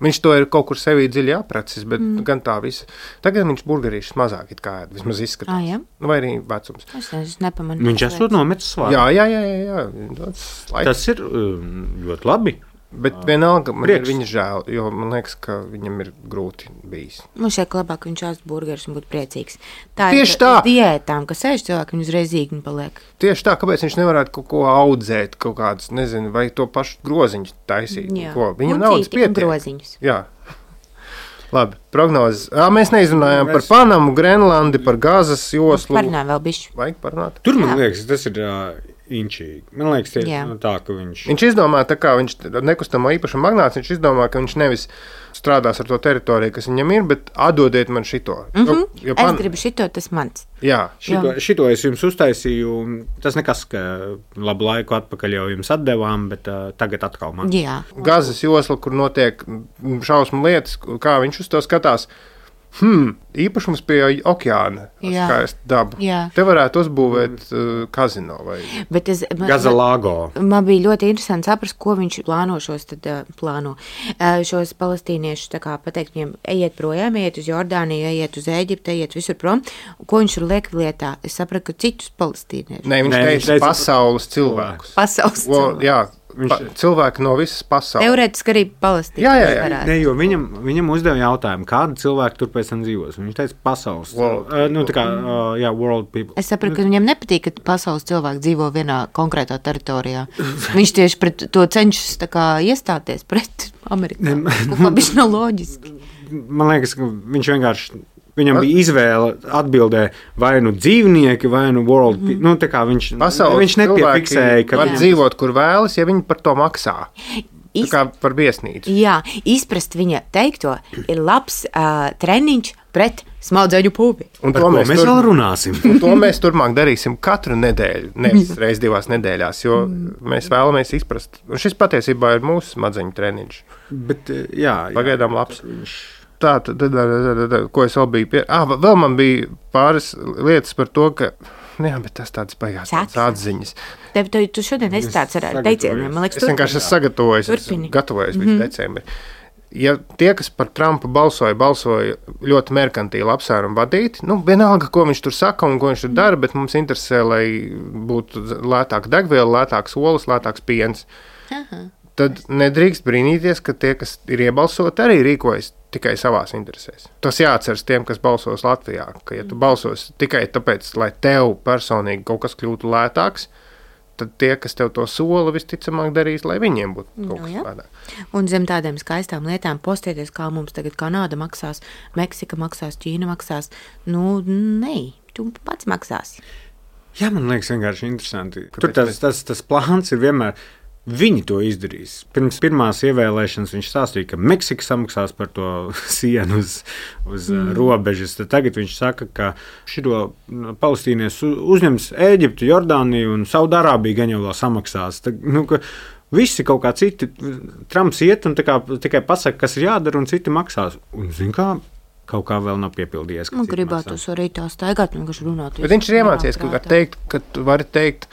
Viņš to ir kaut kur sevī dziļi apracis, bet gan tā visa. Tagad viņš burgerīšus mazāk it kā vismaz izskatās. Vai arī vecums. Es nepamanīju. Viņš esot nometis svāru. Jā. Tas ir ļoti labi. Bet vienalga man ir viņa žēl, jo man liekas, ka viņam ir grūti bijis. Man šeit labāk, ka viņš āst burgerus un būtu priecīgs. Tā tieši ir tā. Diētām, ka sēž cilvēki, viņi uzreiz zīgni paliek. Tieši tā, kāpēc viņš nevarētu kaut ko audzēt, kaut kādas, nezinu, vai to pašu groziņus taisīt. Viņam naudas pietiek. Groziņus. Jā. Labi, prognozes. Mēs neizrunājām par Panamu, Grenlandi, par Gazas joslu. Parunājām vēl bišķi. Vajag parunāt? Tur man liekas, tas ir inčīgi. Man liekas, tā, ka viņš izdomā, tā kā viņš nekustamo īpašumu magnāts, viņš izdomā, ka viņš nevis strādās ar to teritoriju, kas viņam ir, bet atdodiet man šito. Es gribu šito, tas mans. Jā, šito es jums uztaisīju. Tas nekas, ka labu laiku atpakaļ jau jums atdevām, bet tagad atkal man. Jā. Gazas josla, kur notiek šausmu lietas, kā viņš uz to skatās. Īpašums pie okeāna, skaista daba. Jā. Te varētu uzbūvēt kazino vai Gazalāgo. Man bija ļoti interesanti saprast, ko viņš plāno šos palestīniešus, tā kā pateikt viņiem, ejiet projām, ejiet uz Jordāniju, ejiet uz Ēģipti, ejiet visur prom. Ko viņš tur liek lietā? Es sapratu, ka citus palestīniešus. Nē, viņš teica pasaules cilvēkus. Jā. Cilvēki no visas pasaules. Teorētiski arī Palestīna. Jā. Ne, jo viņam uzdeva jautājumu, kādi cilvēki tur pēc tam dzīvos. Viņš teica pasaules. World people. Es sapratu, ka viņam nepatīk, ka pasaules cilvēki dzīvo vienā konkrētā teritorijā. Viņš tieši pret to cenšas tā kā iestāties pret Amerikā. Kā viņš nav loģiski. Man liekas, ka viņš vienkārši... Viņam bija izvēle atbildē vai nu dzīvnieki, vai nu world people. Tā kā viņš nepiefiksēja, ka var dzīvot, kur vēlas, ja viņi par to maksā. Tā kā par viesnīcu. Jā, izprast viņa teikto ir labs treniņš pret smadzeņu pūvi. Un to mēs vēl runāsim. Un to mēs turpmāk darīsim katru nedēļu, nevis reiz 2 nedēļās, jo mēs vēlamies izprast. Un šis patiesībā ir mūsu smadzeņu treniņš. Bet, pagaidām labs. Tā, ko es vēl biju vēl man bija pāris lietas par to, ka, bet tas tāds baigās atziņas. Tu šodien esi tāds ar teicieniem, man liekas, es vienkārši gatavojos visu decembri. Ja tie, kas par Trumpu balsoja ļoti merkantīli apsvērumu vadīti, vienalga, ko viņš tur saka un ko viņš tur dara, bet mums interesē, lai būtu lētāka degviela, lētāks olas, lētāks piens. Tad nedrīkst brīnīties, ka tie, kas ir iebalsoti, arī rīkojas tikai savās interesēs. Tas jāatceras tiem, kas balsos Latvijā, ka ja tu balsos tikai tāpēc, lai tev personīgi kaut kas kļūtu lētāks, tad tie, kas tev to sola, visticamāk darīs, lai viņiem būtu kaut kas lētāk. Un zem tādiem skaistām lietām postieties, kā mums tagad Kanāda maksās, Meksika maksās, Ķīna maksās. Nē, tu pats maksāsi. Jā, man liekas vienkārši interesanti. Tur tas plāns ir vienmēr... Viņi to izdarīs. Pirms pirmās ievēlēšanas viņš stāstīja, ka Meksika samaksās par to sienu uz robežas. Tad tagad viņš saka, ka šito palestīnies uzņems Ēģiptu, Jordāniju un Saudārābiju gan jau vēl samaksās. Ka visi kaut kā citi, Trumps iet un tikai pasaka, kas ir jādara, un citi maksās. Un zin kā? Kaut kā vēl nav piepildījies. Man gribētos arī tā staigāt, vienkārši runāt. Bet viņš ir iemācījies, ka tu vari teikt,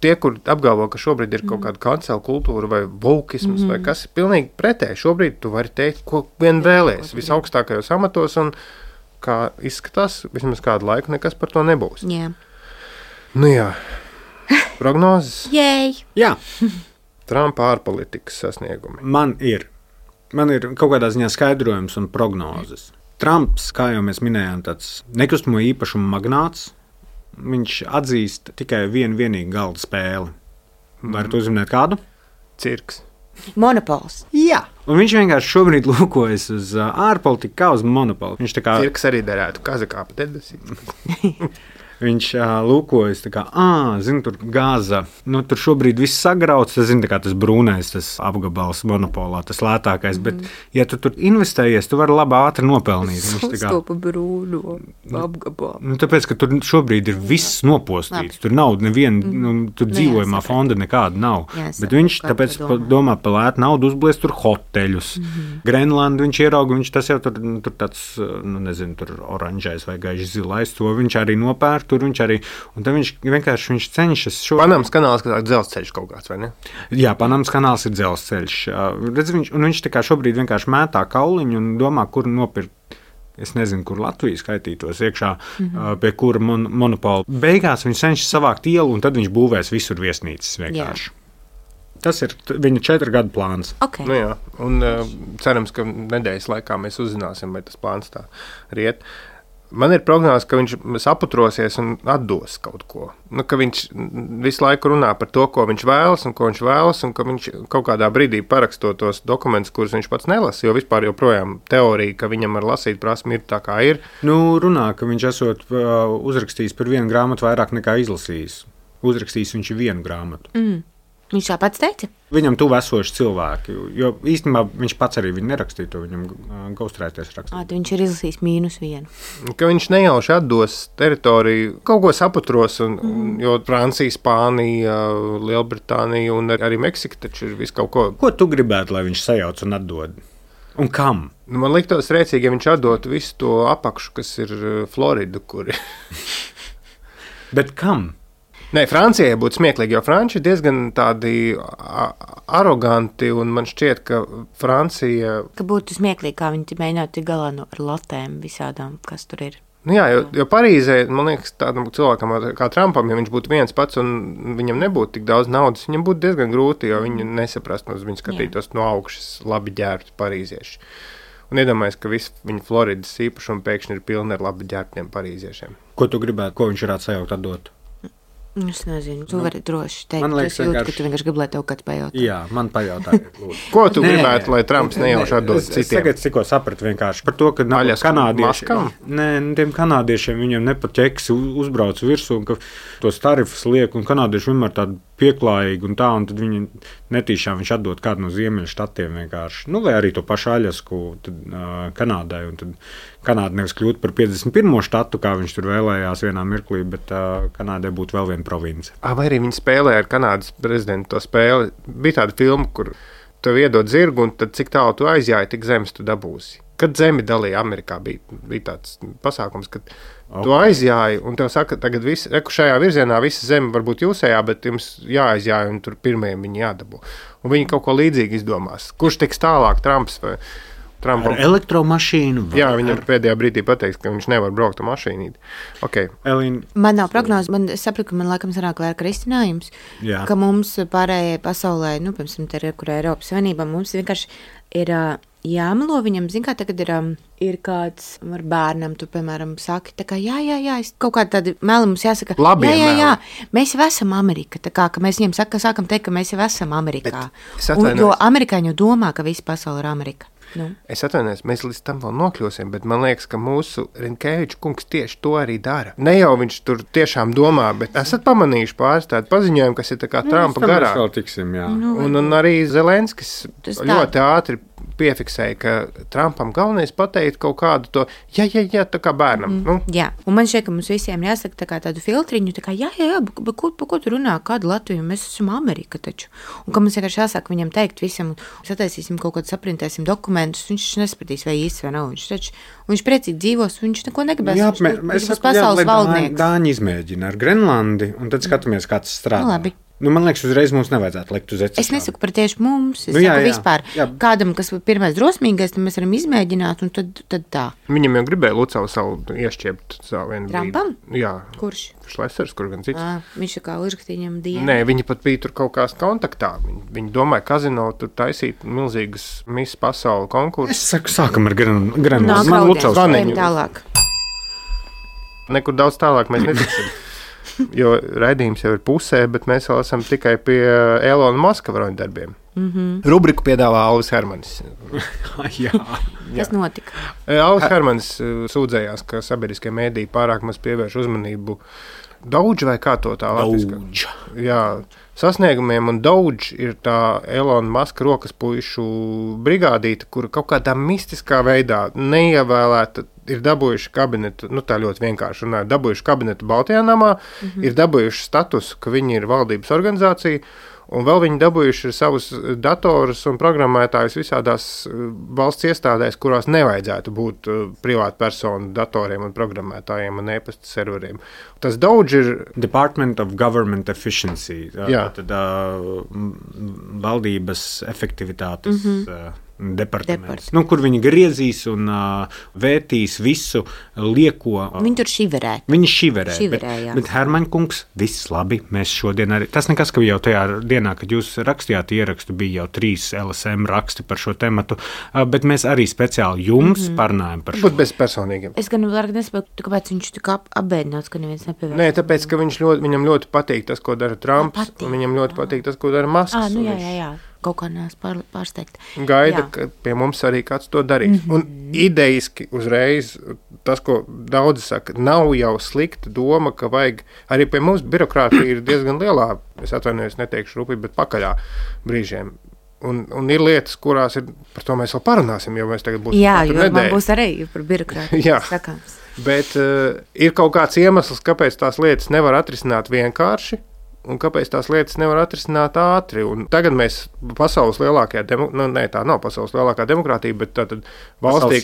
tie, kur apgalvo, ka šobrīd ir kaut kāda kancela kultūra vai vokisms vai kas ir pilnīgi pretēji. Šobrīd tu vari teikt, ko vien vēlies visaugstākajos amatos un kā izskatās, vismaz kādu laiku nekas par to nebūs. Jā. Jā. Prognozes? Jēj! Jā. Trumpa ārpolitikas sasniegumi. Man ir kaut kādā ziņā skaidrojums un prognozes. Trumps, kā jau mēs minējām, tāds nekustamo īpašumu magnāts. Viņš atzīst tikai vienīgu galda spēli. Varat uzminēt kādu? Cirks. Monopols. Jā. Un viņš vienkārši šobrīd lūkojas uz ārpolitiku kā uz monopolu. Cirks arī derētu kazakāpa dedesīt. Viņš lūkojas, zina, tur Gāza. Tur šobrīd viss sagrauts, tas brūnais, tas apgabals monopolā, tas lētākais. Bet, ja tu tur investējies, tu vari labi ātri nopelnīt. Sastopa brūno apgabalu. Tāpēc, ka tur šobrīd ir viss nopostīts. Tur nav neviena, tur dzīvojumā fonda nekāda nav. Bet viņš tāpēc domā par lētu naudu uzbliest tur hoteļus. Grenlandu viņš ierauga, tas jau tur tāds, nezinu, tur oranžais vai gaiši zilais, to viņš arī nopēr. Tur viņš arī, un tad viņš vienkārši cenšas šo... Panamas kanāls, kā dzelzceļš kaut kāds, vai ne? Jā, Panamas kanāls ir dzelzceļš. Viņš tā kā šobrīd vienkārši mētā kauliņu un domā, kur nopirkt. Es nezinu, kur Latvija skaitītos iekšā, pie kura monopola. Beigās viņš cenšas savākt ielu, un tad viņš būvēs visur viesnīcas vienkārši. Jā. Tas ir viņa 4 gadu plāns. Okay. Jā, un cerams, ka nedēļas laikā mēs uzzināsim, vai tas plāns tā riet. Man ir prognoze, ka viņš saputrosies un atdos kaut ko. Ka viņš visu laiku runā par to, ko viņš vēlas, un ka viņš kaut kādā brīdī parakstot tos dokumentus, kurus viņš pats nelasa, jo vispār joprojām teorija, ka viņam ar lasīt prasmi ir tā, kā ir. Runā, ka viņš esot uzrakstījis par vienu grāmatu vairāk nekā izlasījis. uzrakstījis viņš vienu grāmatu. Viņš tā pats teica? Viņam tuvu esoši cilvēki, jo īstenībā viņš pats arī viņu nerakstīja, to viņam ghostwriters rakstīja. Viņš ir izlasījis -1. Ka viņš nejauši atdos teritoriju, kaut ko saputros, jo Francija, Spānija, Lielbritānija un arī Meksika taču ir visu kaut ko. Ko tu gribētu, lai viņš sajauc un atdod? Un kam? Man liktos rēcīgi, ja viņš atdot visu to apakšu, kas ir Florida, kur ir. Bet kam? Nē, Francijai būtu smieklīgi, jo franči ir diezgan tādi aroganti, un man šķiet, ka Francija... Ka būtu smieklīgi, kā viņi mēģinātu tik galā ar latēm visādām, kas tur ir. Nu jā, jo Parīzē, man liekas, tādam cilvēkam kā Trumpam, ja viņš būtu viens pats un viņam nebūtu tik daudz naudas, viņam būtu diezgan grūti, jo viņi nesaprast, uz viņu skatītos no augšas labi ģērbti parīzieši. Un iedomājies, ka visi viņa Floridas īpašumi pēkšņi ir pilni ar labi ģērbtiem parīziešiem. Ko tu gribētu, ko viņš varētu sajaukt atdot? Es nezinu, tu vari droši teikt, man liekas, es jūtu, ka tu vienkārši gribi, lai tev kāds pajautā. Jā, man pajautāja. Ko tu gribētu, lai Trumps nejauši atdod citiem? Es tagad tikko sapratu vienkārši par to, ka tiem kanādiešiem viņiem nepaķeks uzbrauc virsū, un ka tos tarifus liek, un kanādieši vienmēr tādi pieklājīgi un tā, un tad viņi netīšām viņš atdod kādu no ziemeļu štatiem vienkārši. Nu, vai arī to pašu Aļasku Kanādai, un tad Kanāda nevis kļūt par 51. štatu, kā viņš tur vēlējās vienā mirklī, bet Kanādai būtu vēl viena province. Vai arī viņi spēlēja ar Kanādas prezidentu to spēli? Bija tāda filma, kur tev iedod zirgu, un tad cik tālu tu aizjāji, tik zemes tu dabūsi. Kad zemi dalīja Amerikā, bija tāds pasākums, kad tu aizjāji, un tev saka, tagad šajā virzienā visa zeme varbūt jūsējā, bet jums jāaizjāja, un tur pirmajiem viņi jādabū. Un viņi kaut ko līdzīgi izdomās. Kurš tiks tālāk, Trumps vai Trumpam? Ar elektromašīnu? Jā, viņam pēdējā brīdī pateiks, ka viņš nevar braukt ar mašīnīti. Okay. Elīna. Man nav prognozes, es sapratu, ka man laikam sanāk vēl risinājums, ka mums pārējai pasaulē, piemēram, te ir, kur Eiropas Savienībā, mums vienkārši ir jāmelo viņam, zin kā tagad ir kāds ar bērnam, tu, piemēram, saki, tā kā jā, es kaut kādi tādi meli mums jāsaka, jā, mēs jau esam Amerika, tā kā, ka mēs viņiem sākam teikt, ka mēs jau esam Amerikā. Jo amerikāņi jau domā, ka visa pasaule ir Amerika. Nu. Es atvainojos, mēs līdz tam vēl nokļūsim, bet man liekas, ka mūsu Rinkēviča kungs tieši to arī dara. Ne jau viņš tur tiešām domā, bet esat pamanījuši pāris tādu paziņojumu, kas ir tā kā Trumpa garā. Mēs vēl tiksim, jā. Un arī Zelenskis ļoti ātri piefiksēja, ka Trumpam galvenais pateikt kaut kādu to, jā, tā kā bērnam. Jā, un man šķiet, ka mums visiem jāsaka tā kā tādu filtriņu, tā kā jā, bet ko tu runā, kādu Latviju, mēs esam Amerika taču. Un ka mums vienkārši jāsaka viņam teikt visam, sataisīsim kaut kādu, saprintēsim dokumentus, viņš nespratīs, vai īsts vai nav. Viņš priecīgi dzīvos, viņš neko negribēs. Jā, mēs pasaules valdnieks. Dāņi izmēģina ar Grenlandi, un tad skatāmies, kā tas strādā. Labi. Man liekas, uzreiz mums nevajadzētu likt uz ecešām. Es nesaku par tieši mums, es saku vispār. Jā. Kādam, kas pirmais drosmīgais, tad mēs varam izmēģināt, un tad tā. Viņam jau gribēja Lucavu savu iešķiept savu vienu brīdi. Trumpam? Jā. Kurš? Šlesers, kur gan cits. Viņš kā uzrakstīņam dienu. Nē, viņi pat bija tur kaut kās kontaktā. Viņi domāja, kazino tur taisīt milzīgas Miss Pasauli konkursus. Es saku, sākam ar Grenlandi. Man Lucavs tālāk. Nekur daudz tālāk mēs netiksim. Jo raidījums jau ir pusē, bet mēs vēl esam tikai pie Elona Muska varoņdarbiem. Rubriku piedāvā Alvis Hermanis. Kas notika? Alvis Hermanis sūdzējās, ka sabiedriskie mēdīji pārāk maz pievērš uzmanību Doge vai kā to tā latviski? Jā, sasniegumiem, un Doge ir tā Elona Muska rokas puišu brigādīte, kura kaut kādā mistiskā veidā neievēlēta ir dabūjuši kabinetu, tā ļoti vienkārši runāja, dabūjuši kabinetu Baltijā namā, ir dabūjuši statusu, ka viņi ir valdības organizācija, un vēl viņi dabūjuši savus datorus un programmētājus visādās valsts iestādēs, kurās nevajadzētu būt privātu personu datoriem un programmētājiem un e-pasta serveriem. Tas Doge ir Department of Government Efficiency, tad valdības efektivitātes departaments, kur viņi griezīs un vērtīs visu lieko. Viņi tur šiverē. Viņi šiverē, bet Hermaņkungs, viss labi, mēs šodien arī, tas nekas, ka jau tajā dienā, kad jūs rakstījāt ierakstu, bija jau 3 LSM raksti par šo tematu, bet mēs arī speciāli jums parunājam par šo. Būt bezpersonīgiem. Es gan varu nesaprotu, kāpēc viņš tik apbēdināts, ka neviens nepievērš. Nē, tāpēc, ka viņam ļoti patīk tas, ko dara Trumps, un viņam ļoti patīk tas, ko dara Musks. Jā. Kaut kā neesmu pārsteigta. Gaida, ka pie mums arī kāds to darīs. Un idejiski uzreiz tas, ko daudzi saka, nav jau slikta doma, ka vajag, arī pie mums birokrātija ir diezgan lielā, es atvainojos, neteikšu rūpīgi, bet pakaļā brīžiem. Un ir lietas, kurās ir, par to mēs vēl parunāsim, jo mēs tagad būsim jo man būs arī par birokrātiju sakāms. Bet ir kaut kāds iemesls, kāpēc tās lietas nevar atrisināt vienkārši, un kāpēc tās lietas nevar atrisināt ātri. Un tagad mēs pasaules lielākajā, tā nav pasaules lielākā demokrātija, bet tātad valstī,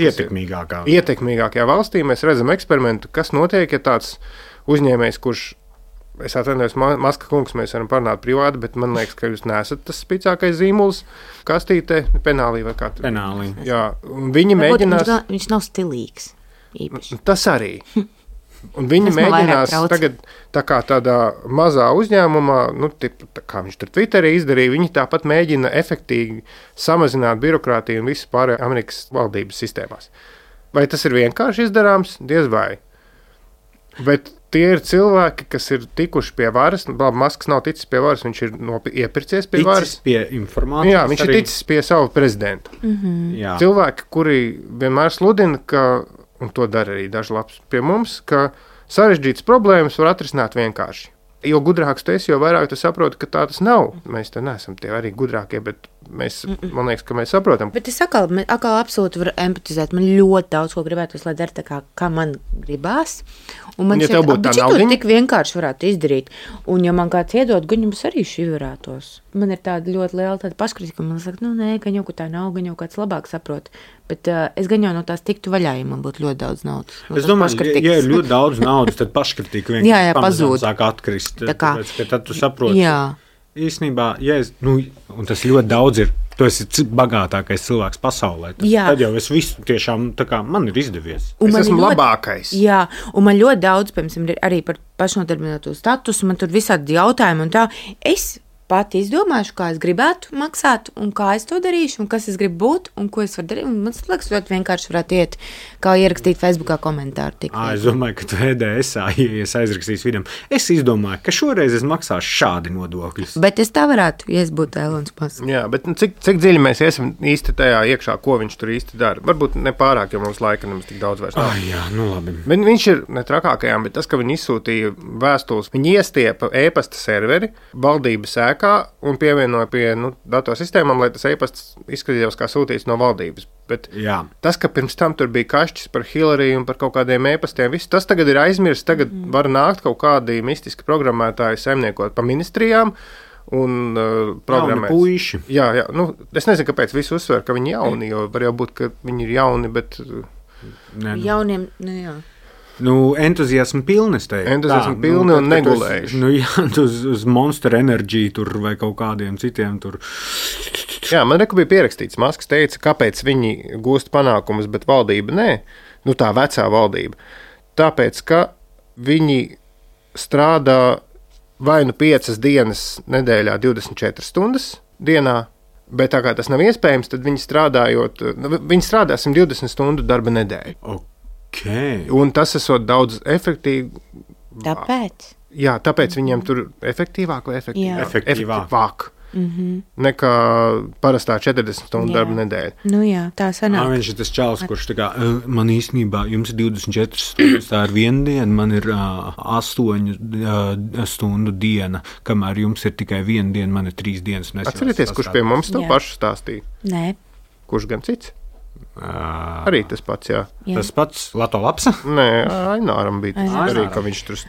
ietekmīgākajā valstī mēs redzam eksperimentu, kas notiek, ja tāds uzņēmējs, kurš, es atvainojos, Maska kungs, mēs varam parunāt privāti, bet man liekas, ka jūs neesat tas spīcākais zīmuls kastītē, penālī vai kā. Penālī. Jā, un viņi mēģinās. Viņš nav stilīgs īpaši. Tas arī. Un viņi mēģinās tagad tādā mazā uzņēmumā, kā viņš tur Twitterī izdarīja, viņi tāpat mēģina efektīgi samazināt birokrātiju un visu pārējo Amerikas valdības sistēmās. Vai tas ir vienkārši izdarāms? Diez vai. Bet tie ir cilvēki, kas ir tikuši pie varas. Masks nav ticis pie varas, viņš ir iepircies pie varas. Ticis pie informācijas. Jā, viņš ir ticis pie savu prezidentu. Mm-hmm. Cilvēki, kuri vienmēr sludina, ka un to dara arī daži labs pie mums, ka sarežģītas problēmas var atrisināt vienkārši. Jo gudrāks tu esi, jo vairāk tu saproti, ka tā tas nav. Mēs te neesam tie arī gudrākie, bet man liekas, ka mēs saprotam. Bet es atkal absolūti varu empatizēt. Man ļoti daudz ko gribētos, lai dara tā kā man gribās. Un man tev būtu tā naudiņa, tik vienkārši varētu izdarīt. Un ja man kāds iedod, gan jums arī šķiverētos. Man ir tāda ļoti liela paškritika, ka man saka, nē, gan jau, ka tā nav, gan jau kāds labāk saprot. Bet es gan jau no tās tiktu vaļā, ja man būtu ļoti daudz naudas. Es domāju, ja ir ļoti daudz naudas, tad paškritika vienkārši pamazām sāk atkrist. Tāpēc, ka tad tu saproti, īstenībā, un tas ļoti daudz ir, tu esi bagātākais cilvēks pasaulē. Tad jau es visu tiešām, man ir izdevies. Es esmu labākais. Jā, un man ļoti daudz, piemēram, arī par pašnodarbināto statusu, man tur visādi jautājumi un tā. Es pati izdomāšu, kā es gribētu maksāt, un kā es to darīšu, un kas es gribu būt, un ko es varu darīt. Man liekas, ļoti vienkārši varētu iet, kā ierakstīt Facebookā komentāru. Es domāju, ka tu EDSā, ja es aizrakstīšu vidam, es izdomāju, ka šoreiz es maksāšu šādi nodokļus. Bet es tā varētu, ja es būtu Elons Masks. Jā, bet cik dziļi mēs esam īsti tajā iekšā, ko viņš tur īsti dara? Varbūt nepārāk, jo mums laika nemaz tik daudz vairs nav. Jā, labi. Bet viņš ir ne trakākajām, bet tas, ka viņi izsūtīja vēstules, viņi iestiepa e-pasta serveri valdības ēkā un pievienoja pie datorsistēmām, lai tas e-pasts izskatījās kā sūtīts no valdības. Bet tas, ka pirms tam tur bija kašķis par Hillary un par kaut kādiem e-pastiem, viss tas tagad ir aizmirsts. Tagad var nākt kaut kādi mistiski programmētāji saimniekot pa ministrijām un programmēt. Jauni puiši. Jā, es nezinu, kāpēc visi uzsver, ka viņi jauni, jo var jau būt, ka viņi ir jauni, bet jauniem, jā. Entuziasmu pilni, es teiktu. Entuziasmu pilni un negulējuši. Uz Monster Energy tur vai kaut kādiem citiem tur. Jā, man bija pierakstīts. Masks teica, kāpēc viņi gūst panākumus, bet valdība nē. Tā vecā valdība. Tāpēc, ka viņi strādā vai 5 dienas nedēļā 24 stundas dienā, bet tā kā tas nav iespējams, tad viņi strādā 120 stundu darba nedēļu. Okay. Un tas esot daudz efektīvi. Tāpēc? Jā, tāpēc viņiem tur efektīvāk vai efektīvāk. Nekā parastā 40 stundu darba nedēļa. Jā, tā sanāk. Viņš ir tas čalis, kurš man īstenībā, jums ir 24 stundas, tā ir viena diena, man ir 8 stundu diena, kamēr jums ir tikai viena diena, man ir 3 dienas. Atcerieties, kurš pie mums to pašu stāstīja? Nē. Kurš gan cits? Arī tas pats, jā. Tas pats Lato Lapsa? Nē, Aināram bija tas arī, ka viņš tur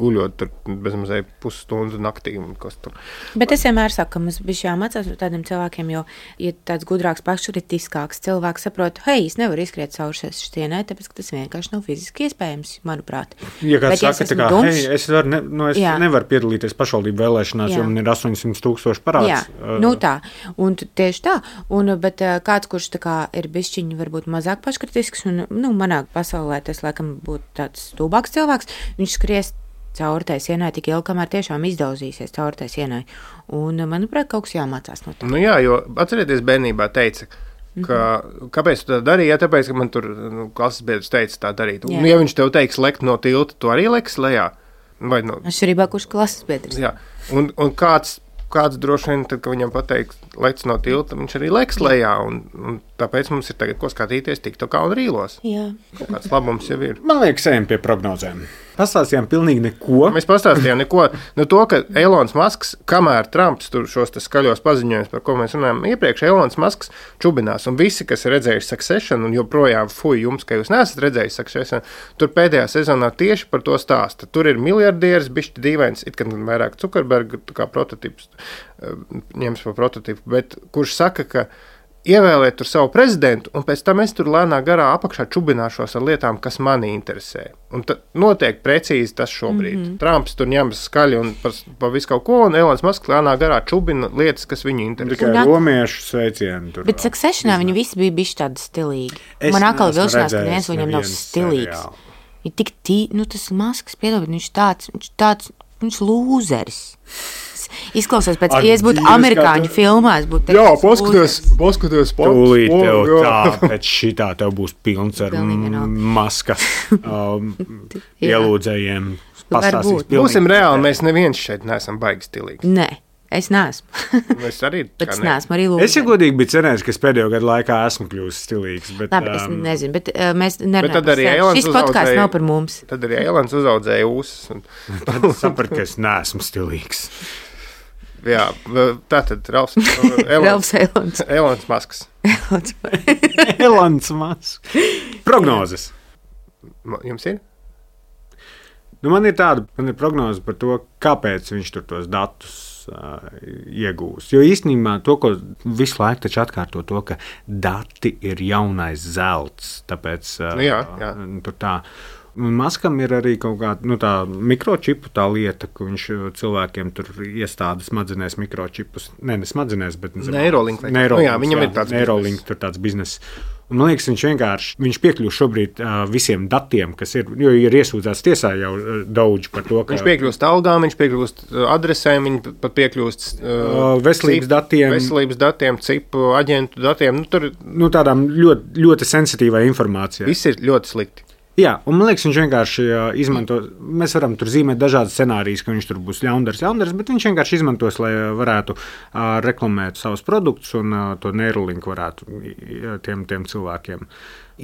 guļot tur bezmazēji pusstundu naktī un kas tur. Bet es vienmēr saku, ka mums bija jāmācās no tādiem cilvēkiem, jo, ja tāds gudrāks, paškritiskāks cilvēks saprot, hei, es nevaru izskriet cauri šitienai, tāpēc, ka tas vienkārši nav fiziski iespējams, manuprāt. Ja kāds saka, tā kā, hei, es nevaru piedalīties pašvaldību vēlēšanās, jo man ir 800,000 parāds. Jā, tā. Un tieši tā. Bet kāds, kurš tā kā ir bišķiņi varbūt mazāk paškritisks, un manā pasaulē tas laikam būtu tāds stulbāks cilvēks, viņš skries cauri tai sienai tik ilgi, kamēr tiešām izdauzīsies cauri tai sienai. Un, manuprāt, kaut kas jāmācās no tā. Jā, jo atcerieties, bērnībā teica, ka kāpēc tu tā darīji? Jā, tāpēc, ka man tur klases biedrs teica tā darīt. Un, ja viņš tev teiks lekt no tilta, tu arī leks lejā? Atšķirībā, kurš klases biedrs? Jā, un kāds kāds droši vien, tad, kad viņam pateiks, lec no tilta, viņš arī leks lejā, un tāpēc mums ir tagad ko skatīties TikTokā un rīlos. Jā. Kaut kāds labums jau ir. Man liekas, ejam pie prognozēm. Pastāstījām pilnīgi neko. Mēs pastāstījām neko. Nu, to, ka Elons Musks, kamēr Trumps tur šos skaļos paziņojumus, par ko mēs runājām iepriekš, Elons Musks čubinās. Un visi, kas ir redzējuši Succession, un joprojām jums, ka jūs neesat redzējuši Succession, tur pēdējā sezonā tieši par to stāsta. Tur ir miljardieris, bišķi dīvains, it kā vairāk Zuckerberga kā prototips, ņems par prototipu, bet kurš saka, ka ievēlēt tur savu prezidentu, un pēc tam es tur lēnā garā apakšā čubināšos ar lietām, kas mani interesē. Un tad notiek precīzi tas šobrīd. Trumps tur ņemas skaļi un par visu kaut ko, un Elons Musks lēnā garā čubina lietas, kas viņu interesē. Tikai romiešu sveicienu tur. Bet Successionā viņi visi bija bišķi tādi stilīgi. Man atkal vilšanās, ka viens viņam nav stilīgs. Ir tik tas Musks, piedod, viņš lūzeris. Izklausās pēc, ja es būtu amerikāņu filmās, būtu teikt, jā, paskaties, tūlīt tev tā, pēc šitā tev būs pilns ar Muska ielūdzējiem. Būsim reāli, mēs neviens šeit neesam baigi stilīgi. Nē, es neesmu. Es arī neesmu arī lūdzu. Es jau godīgi biju cerējis, ka es pēdējo gadu laikā esmu kļūst stilīgs. Bet, labi, es nezinu, bet mēs nerunājam par sevi. Šis podcasts nav par mums. Tad arī Elons uzaudzēja ūsas. Tad sapratu, ka es neesmu stilīgs. Jā, tā tad Elons Musks. Elons Musks. Prognozes. Jums ir? Man ir prognoze par to, kāpēc viņš tur tos datus iegūs. Jo īstenībā to, ko visu laiku taču atkārto to, ka dati ir jaunais zelts. Tāpēc tur tā. Un Maskam ir arī kaut kāda tā mikročipu tā lieta, ka viņš cilvēkiem tur iestāda smadzenēs mikročipus. Ne smadzenēs, bet Neuralink. Viņam ir tāds Neuralink, tur tāds bizness. Un, man liekas, viņš piekļūst šobrīd visiem datiem, kas ir, jo ir iesūdzēts tiesā jau daudz par to, ka... Viņš piekļūst algām, viņš piekļūst adresēm, viņš pat piekļūst veselības datiem, cipu aģentu datiem. Tādām ļoti, ļoti sensitīvai informācijai. Viss ir ļoti slikti. Jā, un man liekas, viņš vienkārši izmanto, mēs varam tur zīmēt dažādas scenārijas, ka viņš tur būs ļaundars, bet viņš vienkārši izmantos, lai varētu reklamēt savus produktus un to Neuralink varētu tiem cilvēkiem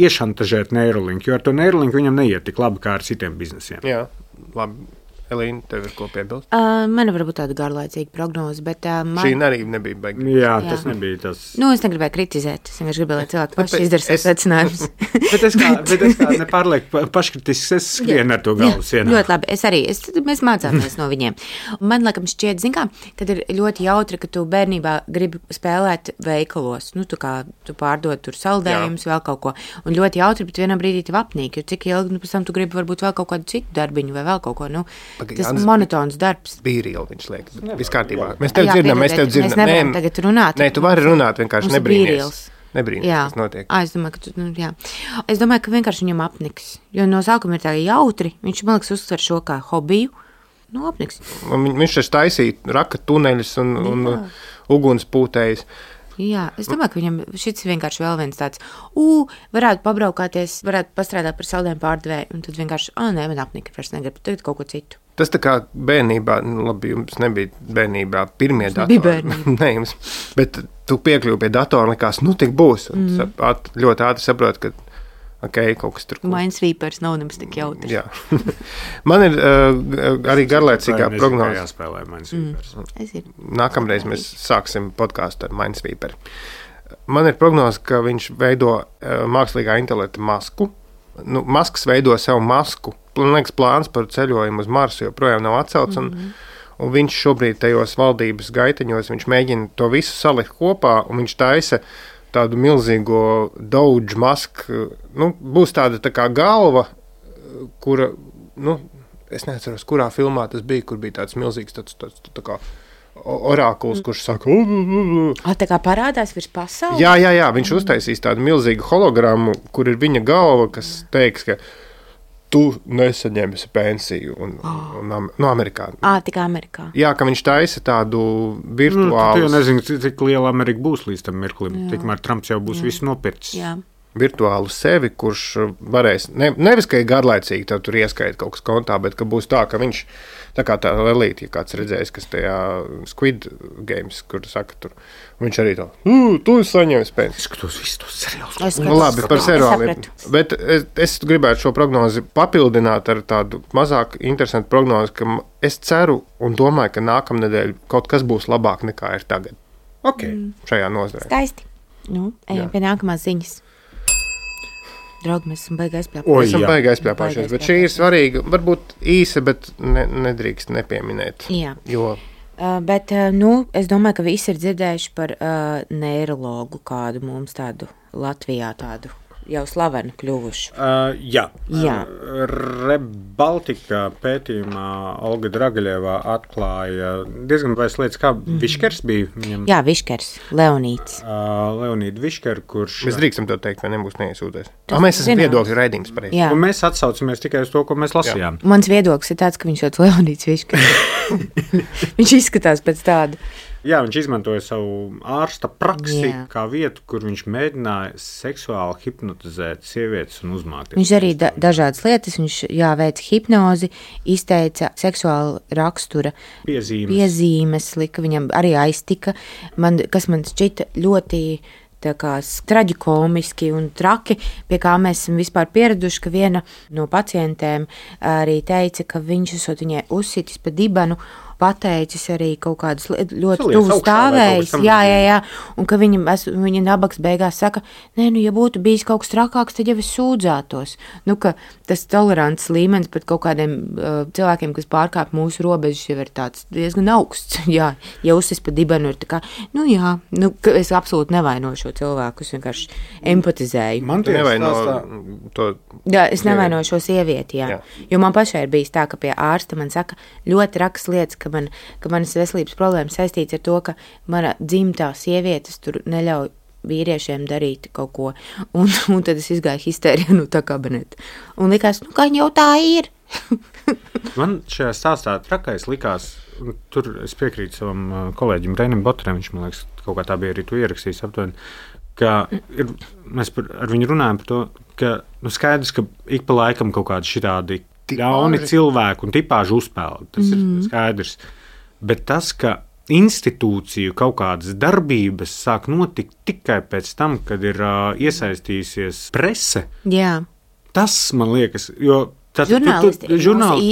iešantažēt Neuralink, jo ar to Neuralink viņam neiet tik labi kā ar citiem biznesiem. Jā, labi. Elīna, tev ir ko piebilst? Man varbūt tāda garlaicīga prognoze, bet... Šī arī nebija baigta. Jā, tas nebija tas... Es negribēju kritizēt, es vienkārši gribēju, lai cilvēki paši izdara savus secinājumus. bet es kā nepārlieku paškritisks, es skrienu ar to galvu sienā. Ļoti labi, es arī. Mēs mācāmies no viņiem. Man laikam šķiet, kad ir ļoti jautri, ka tu bērnībā gribi spēlēt veikalos. Tu pārdod tur saldējumus, vēl kaut ko. Un ļoti jautri, bet vienā brīdī tev apnīk, jo cik ilgi, pēc tam tu gribi varbūt vēl kaut kādu citu darbiņu vai vēl kaut ko, tas ir monotons darbs. Bīrīli viņš liek. Viss kārtībā. Mēs tev dzirdam, mēs tev dzirdam. Mēs nevaram tagad runāt. Nē, tu vari runāt, vienkārši nebrīnies. Nebrīnies, kas notiek. Es domāju, Es domāju, ka vienkārši viņam apniks. Jo no sākuma ir tā jautri. Viņš, man liekas, uztver šo kā hobiju. Apniks. Viņš taču taisīja raka tuneļus un ugunspūtējus. Jā, es domāju, ka viņam šis vienkārši vēl viens tāds, varētu pabraukāties, varētu pastrādāt par saldējumu pārdevēju, un tad vienkārši, man apnika, vairs negribu, tagad kaut ko citu. Tas tā kā bērnībā, labi, jums nebija bērnībā pirmie datori. Bija bērnībā. Nē, jums, bet tu piekļuvi pie datora un likās, tik būs, un ļoti ātri saproti, ka kaut kas tur. Minesweepers nav nemaz tik jautrs. Jā. Man ir arī garlaicīgā prognoze. Jāspēlē Minesweepers. Nākamreiz mēs sāksim podkāstu ar Minesweeper. Man ir prognoze, ka viņš veido mākslīgā intelekta masku. Masks veido savu masku. Man liekas, plāns par ceļojumu uz Marsu joprojām nav atcelts. Un viņš šobrīd tajos valdības gaiteņos, viņš mēģina to visu salikt kopā, un viņš taisa tādu milzīgo Doge masku. Būs tāda tā kā galva, kura, es neatceros, kurā filmā tas bija, kur bija tāds milzīgs tā kā orākuls, kurš saka... Tā kā parādās virs pasaules? Jā, viņš uztaisīs tādu milzīgu hologrammu, kur ir viņa galva, kas teiks, ka tu nesaņemsi pensiju Amerikā. Tikai Amerikā. Jā, ka viņš taisa tādu virtuālu... Tu jau nezini, cik liela Amerika būs līdz tam mirklim. Tikmēr Trumps jau būs visu nopircis. Jā. virtuālu sevi, kurš varēs, nevis, ka ir garlaicīgi, tev tur ieskaita kaut kas kontā, bet ka būs tā, ka viņš, tā kā tā Lelīte, ja kāds redzējis, kas tajā Squid Games, kur saka tur, viņš arī tā, tu saņems pēc. Es skatos visus tos seriālus. Labi, par seriāliem. Bet es gribētu šo prognozi papildināt ar tādu mazāk interesantu prognozi, ka es ceru un domāju, ka nākamnedēļ kaut kas būs labāk nekā ir tagad. Šajā nozarē. Skaisti. Ejam pie nākamās ziņas. Draugi, mēs esam baigi aizpļāpājušies. Esam baigi aizpļāpājušies, bet šī ir svarīga, varbūt īsa, bet nedrīkst nepieminēt. Jā. Jo... Bet, es domāju, ka visi ir dzirdējuši par neirologu kādu mums tādu Latvijā tādu jau slavenu kļuvušu. Jā. Rebaltika pētījumā Olga Dragaļevā atklāja diezgan baisas lietas, kā Viškers bija viņam. Jā, Viškers, Leonīds. Leonīda Višker, kurš... Mēs drīkstam to teikt, vai nebūs neiesūties. Mēs esam viedokļu raidījums pareizi. Un mēs atsaucamies tikai uz to, ko mēs lasījām. Mans viedoklis ir tāds, ka viņš ir Leonīds Viškers. Viņš izskatās pēc tādu. Jā, viņš izmantoja savu ārsta praksi kā vietu, kur viņš mēģināja seksuāli hipnotizēt sievietes un uzmākties. Viņš arī dažādas lietas, viņš veica hipnozi, izteica seksuāla rakstura piezīmes, lika viņam arī aiztika, kas man šķita ļoti traģikomiski un traki, pie kā mēs esam vispār pieraduši, ka viena no pacientēm arī teica, ka viņš esot viņai uzsitis pa dibenu, pateicis arī kaut kādus ļoti tuvu stāvējis, un ka viņa nabaks beigās saka, ja būtu bijis kaut kas trakāks, tad jau es sūdzētos. Ka tas tolerants līmenis pat kaut kādiem cilvēkiem, kas pārkāp mūsu robežas, jau ir tāds diezgan augsts. Ja uzsis pa dibenu ir tā kā, es absolūti nevainoju šo cilvēku, es vienkārši empatizēju. Man tu nevaino to... Jā, es nevainoju šo sievieti, jā. Jo man pašai ir bijis tā, ka pie ārsta man saka ļoti rakas lietas, ka manas veselības problēmas saistīts ar to, ka mana dzimtā sievietes tur neļauj vīriešiem darīt kaut ko. Un tad es izgāju histērijā no tā kabineta. Un likās, kā jau tā ir. Man šajā stāstā trakais likās, tur es piekrītu savam kolēģim Reinim Botrem, viņš man liekas, kaut kā tā bija arī tu ierakstījis aptuveni, ka mēs ar viņu runājam par to, ka skaidrs, ka ik pa laikam kaut kādi šitādi ļauni cilvēku un tipāžu uzspēlē. Tas ir skaidrs. Bet tas, ka institūciju kaut kādas darbības sāk notikt tikai pēc tam, kad ir iesaistījusies prese, tas man liekas, jo žurnālisti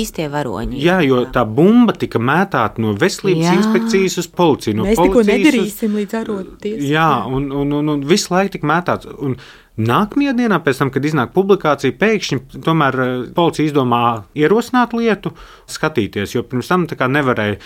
īstie varoņi. Jā, jo tā bumba tika mētāta no veselības inspekcijas uz policiju. Mēs neko nedarīsim līdz arotiesai. Jā, un visu laiku tika mētāts. Un nākamajā dienā, pēc tam, kad iznāk publikācija, pēkšņi tomēr policija izdomā ierosināt lietu, skatīties, jo pirms tam tā kā nevarēja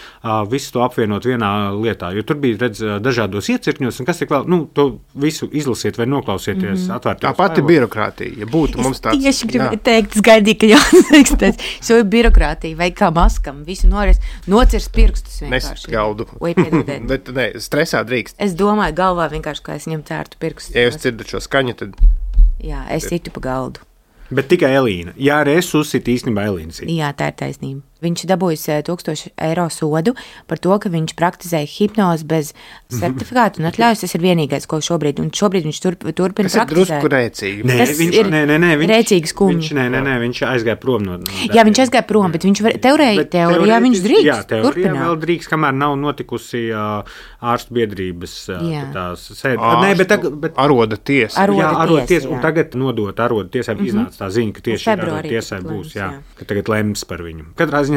visu to apvienot vienā lietā, jo tur bija dažādos iecirkņos, un kas tik vēl, to visu izlasiet vai noklausieties atvērtos. Tā pati birokrātija, ja būtu mums tāds. Es tieši gribēju teikt, es gaidīju, ka jāatzīstēs, šo birokrātiju, vai kā maskam, visu nocirs pirkstus vienkārši. Neskaldu. Oi, piedodiet. Bet stresā drīkst. Es domāju galvā vienkārši, kā es viņam cērtu pirkstus. Ja jūs dzirdat šo skaņu, tad... Jā, es citu pa galdu. Bet tikai Elīna. Jā, arī es uzsitu īstenībā Elīnas. Jā, tā ir taisnība. Viņš dabūjis 1000 eiro sodu par to, ka viņš praktizēja hipnozi bez certifikātu un atļaujas. Tas ir vienīgais, ko šobrīd viņš turpina praktizēt. Tas ir drusku rēcīgi. Viņš rēcīgi skumji. Viņš aizgāja prom no Jā, viņš aizgāja prom, bet viņš teorijā viņš drīkst. Jā, teorijā vēl drīkst, kamēr nav notikusi ārstu biedrības tās sēde. Aroda tiesa. Jā, aroda tiesa. Un tagad nodot aroda tiesai iznāca tā ziņa, ka tieši aroda tiesai būs, ka tagad lems par viņu. Katrā ziņā,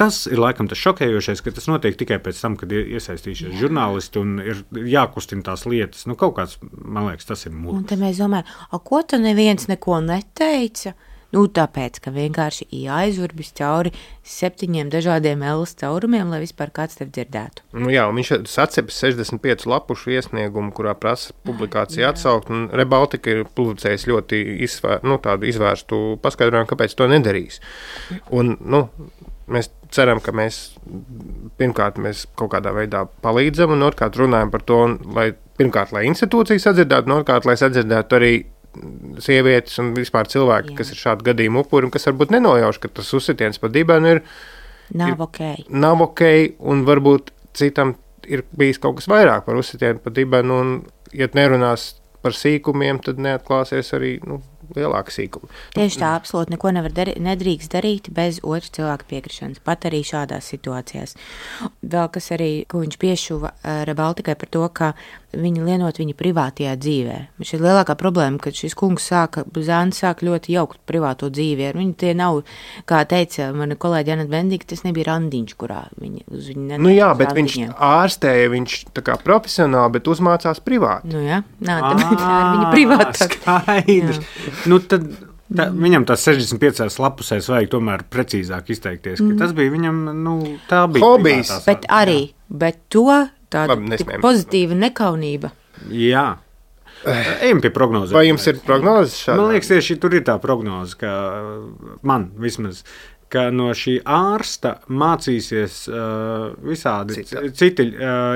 tas ir laikam tas šokējošais, ka tas notiek tikai pēc tam, kad ir iesaistījušies žurnālisti un ir jākustina tās lietas. Kāds, man liekas, tas ir mūžs. Un te mēs domājam, ko tu neviens neko neteica? Tāpēc, ka vienkārši jāizurbis cauri 7 dažādiem L caurumiem, lai vispār kāds tev dzirdētu. Jā, un viņš sacepas 65 lapušu iesniegumu, kurā prasa publikāciju atsaukt, un Rebaltika ir publicējis ļoti tādu izvērstu paskaidrojumu, kāpēc to nedarīs. Un, mēs ceram, ka pirmkārt mēs kaut kādā veidā palīdzam, un otrkārt runājam par to, lai institūcijas sadzirdētu, un otrkārt, lai sadzirdētu arī sievietes un vispār cilvēki, kas ir šādu gadījumu upuri un kas varbūt nenojauš, ka tas uzsitiens pa dibenu nav ok, un varbūt citam ir bijis kaut kas vairāk par uzsitienu pa dibenu, un, ja nerunās par sīkumiem, tad neatklāsies arī lielāka sīkuma. Tieši tā, absolūti neko nedrīkst darīt bez otra cilvēka piekrišanas, pat arī šādās situācijās. Vēl kas arī, ko viņš piešuva Rebaltikai par to, ka viņi lienot viņa privātajā dzīvē. Šī ir lielākā problēma, ka šis kungs Zāns sāk ļoti jaukt privāto dzīvi. Viņi tie nav, kā teica mana kolēģi Aneta Bendika, tas nebija randiņš, kurā viņi uz viņu jā, bet viņš ārstēja, viņš tā kā profesionāli, bet uzmācās privāti. Jā, tāpēc ar viņa privātā. Skaidrs. Tad viņam tās 65 lapusēs vajag tomēr precīzāk izteikties, ka tas bija viņam, tā bija hobijs. Bet to tāda pozitīva nekaunība. Jā. Ejam pie prognozes. Vai jums ir prognozes šādā? Man liekas, tieši tur ir tā prognoze, ka man vismaz, ka no šī ārsta mācīsies visādi citi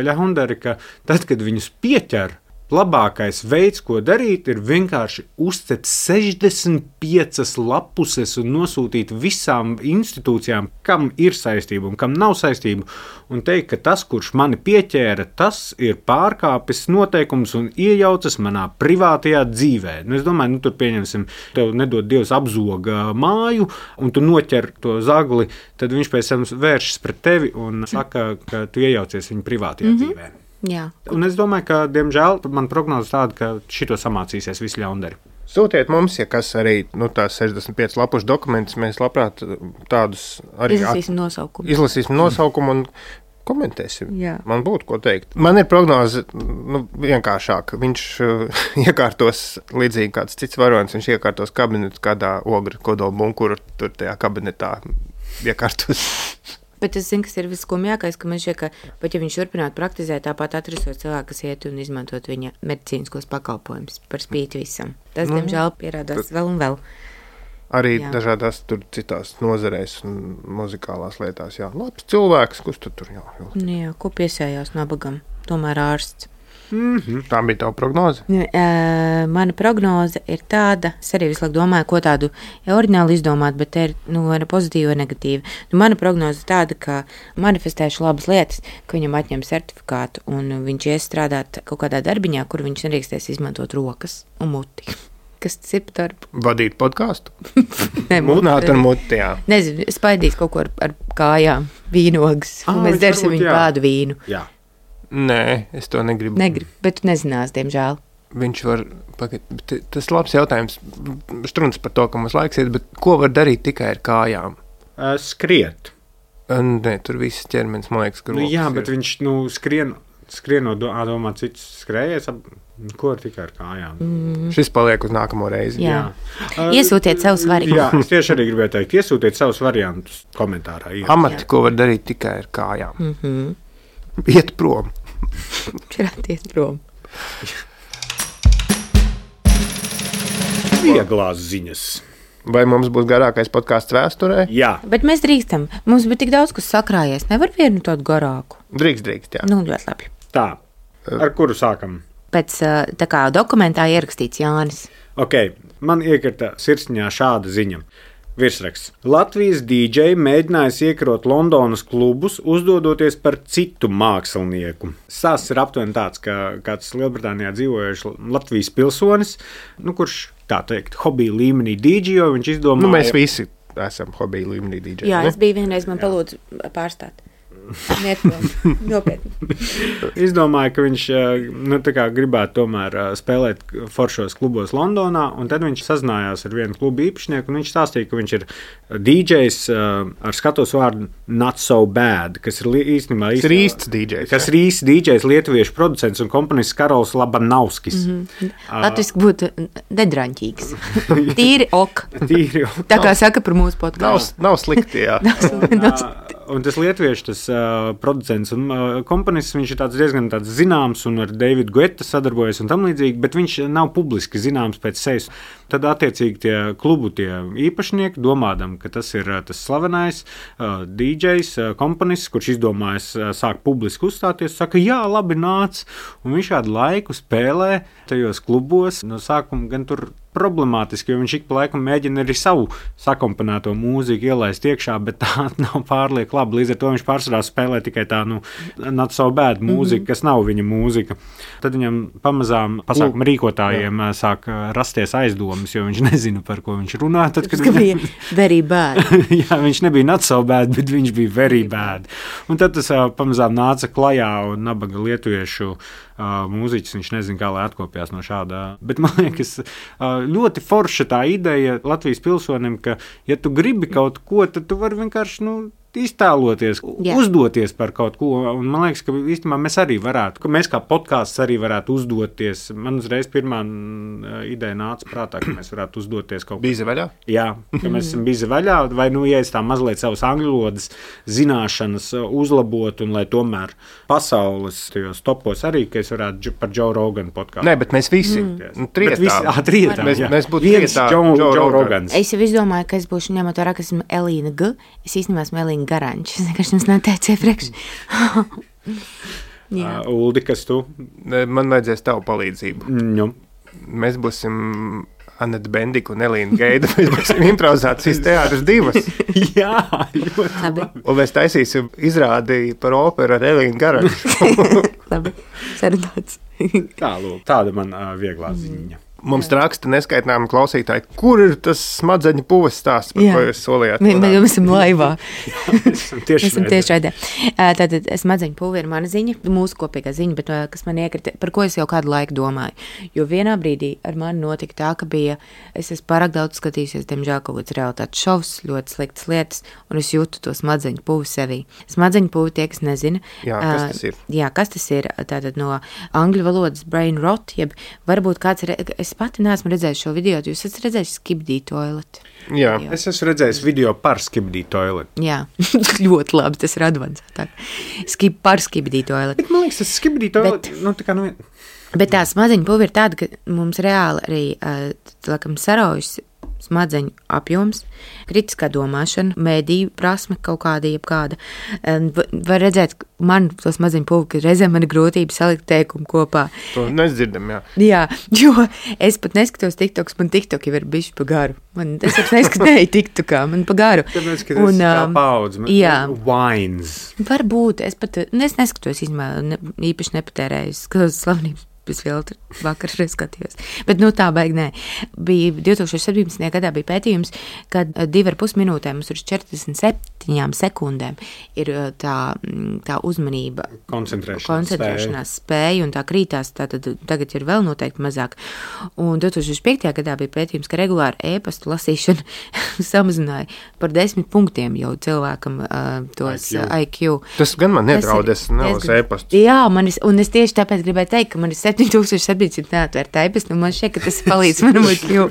ļahundari, ka tad, kad viņus pieķer, labākais veids, ko darīt, ir vienkārši uzcet 65 lapuses un nosūtīt visām institūcijām, kam ir saistība un kam nav saistība, un teikt, ka tas, kurš mani pieķēra, tas ir pārkāpis noteikums un iejaucas manā privātajā dzīvē. Es domāju, tur pieņemsim, tev nedod Dievs apzoga māju, un tu noķer to zagli, tad viņš pēc tam vēršas pret tevi un saka, ka tu iejaucies viņa privātajā dzīvē. Jā. Un es domāju, ka, diemžēl, man prognoze tāda, ka šito samācīsies visi ļaundari. Sūtiet mums, ja kas arī tās 65 lapušu dokumentus, mēs labprāt tādus arī izlasīsim nosaukumu un komentēsim. Jā. Man būtu ko teikt. Man ir prognoze vienkāršāka. Viņš iekārtos līdzīgi kāds cits varonis, viņš iekārtos kabinetu kādā ogru kodola bunkuru, tur tajā kabinetā iekārtos. Bet es zinu, kas ir viskumjākais, ka man šķiet, ka pat ja viņš turpinātu praktizēt, tāpat atrasot cilvēku, kas iet un izmantot viņa medicīniskos pakalpojumus par spīti visam. Tas, diemžēl, pierādās vēl un vēl. Arī dažādās tur citās nozarēs un muzikālās lietās. Jā, labs cilvēks, kurš tur jā. Jā, ko piesējās nabagam? Tomēr ārsts. Tā bija tava prognoze? Mana prognoze ir tāda, es arī visu laiku domāju, ko tādu oriģināli izdomāt, bet te ir pozitīva vai negatīva. Mana prognoze ir tāda, ka manifestēšu labas lietas, ka viņam atņem certifikātu un viņš ies strādāt kaut kādā darbiņā, kur viņš nedrīkstēs izmantot rokas un muti. Kas tas ir par darbu? Vadīt podkāstu? Mūtināt ar muti, jā. Nezinu, spaidīt kaut ko ar kājām, vīnogas, un mēs dersim viņu kādu vīnu. Jā. Nē, es to negribu. Bet tu nezinās, diemžēl. Viņš var, tas labs jautājums, struns par to, ka mums laiks iet, bet ko var darīt tikai ar kājām? Skriet. Nē, tur viss ķermenis, man liekas, ka rokas jā, bet viņš skrien no domā cits skrējies, ko ar tikai ar kājām. Šis paliek uz nākamo reizi. Jā. Iesūtiet savus variantus. Jā, es tieši arī gribēju teikt, iesūtiet savus variantus komentārā. Amati, ko var darīt tikai ar kājām. Iet prom. Iet prom. Vieglās ziņas. Vai mums būs garākais podkāsts vēsturē? Jā. Bet mēs drīkstam. Mums bija tik daudz, kas sakrājies. Nevar vienu tādu garāku. Drīkst, jā. Ļoti labi. Tā, ar kuru sākam? Pēc tā kā dokumentā ierakstīts Jānis. Ok, man iekrita sirsniņā šāda ziņa. Virsraksts. Latvijas DJ mēģinājis iekarot Londonas klubus, uzdodoties par citu mākslinieku. Stāsts ir aptuveni tāds, ka kāds Lielbritānijā dzīvojuši Latvijas pilsonis, kurš, tā teikt, hobija līmenī DJ, viņš izdomāja... Mēs visi esam hobija līmenī DJ. Jā, es biju vienreiz, man palūdzu pārstāt. Nopietni. Izdomāju, ka viņš gribētu tomēr spēlēt foršos klubos Londonā, un tad viņš sazinājās ar vienu klubu īpašnieku, un viņš stāstīja, ka viņš ir DJs ar skatos vārdu Not So Bad, kas ir īstenībā īsts DJs. Kas ir īsts DJs, lietuviešu producents un komponists Karols Labanauskis. Latviski būtu nedraņķīgs. Tīri ok. Tā kā saka par mūsu podkāstu. Nav slikti, jā. Un tas lietuviešu, tas producents un komponists, viņš ir diezgan zināms un ar Davidu Guetta sadarbojas un tam līdzīgi, bet viņš nav publiski zināms pēc sejas. Tad attiecīgi tie klubu īpašnieki, domādam, ka tas ir tas slavenais DJs, komponists, kurš izdomājas sāk publiski uzstāties, saka, jā, labi nāc, un viņš kādu laiku spēlē tajos klubos, no sākuma gan tur problemātiski, jo viņš ik pa laikam mēģina arī savu sakomponēto mūziku ielaist iekšā, bet tā nav pārlieku labi. Līdz ar to viņš pārsvarā spēlē tikai tā, not so bad mūzika, kas nav viņa mūzika. Tad viņam pamazām pasākuma rīkotājiem sāk rasties aizdomas, jo viņš nezina, par ko viņš runā. Tad, kad bija very bad. Jā, viņš nebija not so bad, bet viņš bija very bad. Un tad tas pamazām nāca klajā un nabaga lietuviešu mūziķis, viņš nezina, kā lai atkopjās no šādā. Bet man liekas, ļoti forša tā ideja Latvijas pilsonim, ka, ja tu gribi kaut ko, tad tu vari vienkārši, iztēloties, uzdoties par kaut ko. Un man liekas, ka īstenībā mēs arī varētu, ka mēs kā podkāsts arī varētu uzdoties. Man uzreiz pirmā ideja nāca prātā, ka mēs varētu uzdoties kaut ko. Bizi vaļā? Jā, ka mēs esam bizi vaļā, vai, ja es tā mazliet savas angļu valodas zināšanas uzlabot, un lai tomēr pasaules tajos topos arī, ka es varētu par Joe Rogan podkāstu. Nē, bet mēs visi trietā. Mēs būtu trietā Joe Rogans. Es jau izdomāju, ka es būšu ņemot vērā, ka esmu Elīna G. Es īstenībā esmu Elīna Garančs. Es vienkārši jums neteicu iepriekš. Uldi, kas tu? Man vajadzēs tavu palīdzību. Mēs būsim Aneta Bendika un Elīna Geida. Mēs būsim improvizācijas teātris 2. Jā, ļoti labi. Un mēs taisīsim izrādi par operu ar Elīnu Garanču. Labi, sarunāts. Tāda man vieglā ziņa. Mums raksta neskaitāmi klausītāji, kur ir tas smadzeņu puves stāsts, par ko jūs solījāt? Mēs esam laivā. Tieši raidē. Tātad smadzeņu puve ir mana ziņa, mūsu kopīgā ziņa, bet kas man iekrita, par ko es jau kādu laiku domāju. Jo vienā brīdī ar mani notika tā, ka es esmu pārāk daudz skatījusies, diemžēl, kaut kāds realitātes šovs, ļoti sliktas lietas, un es jūtu to smadzeņu puvi sevī. Smadzeņu puvi tie, kas nezina. Jā, kas tas ir? Jā, kas tas ir? Tātad no angļu valodas brain rot, jeb varbūt kāds es pati neesmu redzējis šo video, jūs esat redzējis Skibidi toileti? Jā. Es esmu redzējis video par Skibidi toileti. Jā, ļoti labi, tas ir advancētāk. Par Skibidi toileti. Bet man liekas, tas Skibidi toileti, Bet tā smadzeņu puve ir tāda, ka mums reāli arī, laikam, saraujas smadzeņu apjoms, kritiskā domāšana, mēdīju prasme kaut kāda, jebkāda. Var redzēt, man to smadzeņu puvi, ka reizēm man ir grūtība salikt teikumu kopā. To nedzirdam, jā. Jā, jo es pat neskatos TikToks, man TikTok jau ir bišķi pa garu. Es pat neskatēju TikTokā, man pa garu. Tāpēc, ka tas kā paudz, wines. Varbūt, es neskatos īpaši nepatērēju, skatos slavenības bez filtra, vakar skatījos. Bet tā baigi nē. Bija 2017. gadā bija pētījums, kad 2,5 minūtēm uz 47 sekundēm ir tā uzmanība, koncentrēšanās spēja, un tā krītās, tātad tagad ir vēl noteikti mazāk. Un 2005. gadā bija pētījums, ka regulāri e-pastu lasīšana samazināja par 10 punktiem jau cilvēkam tos IQ. Tas gan man nedraud, es nelasu e-pastu. Jā, un es tieši tāpēc gribēju teikt, ka man ir 7700 neatvērt e-pastu, un man šķiet, ka tas palīdz manam IQ.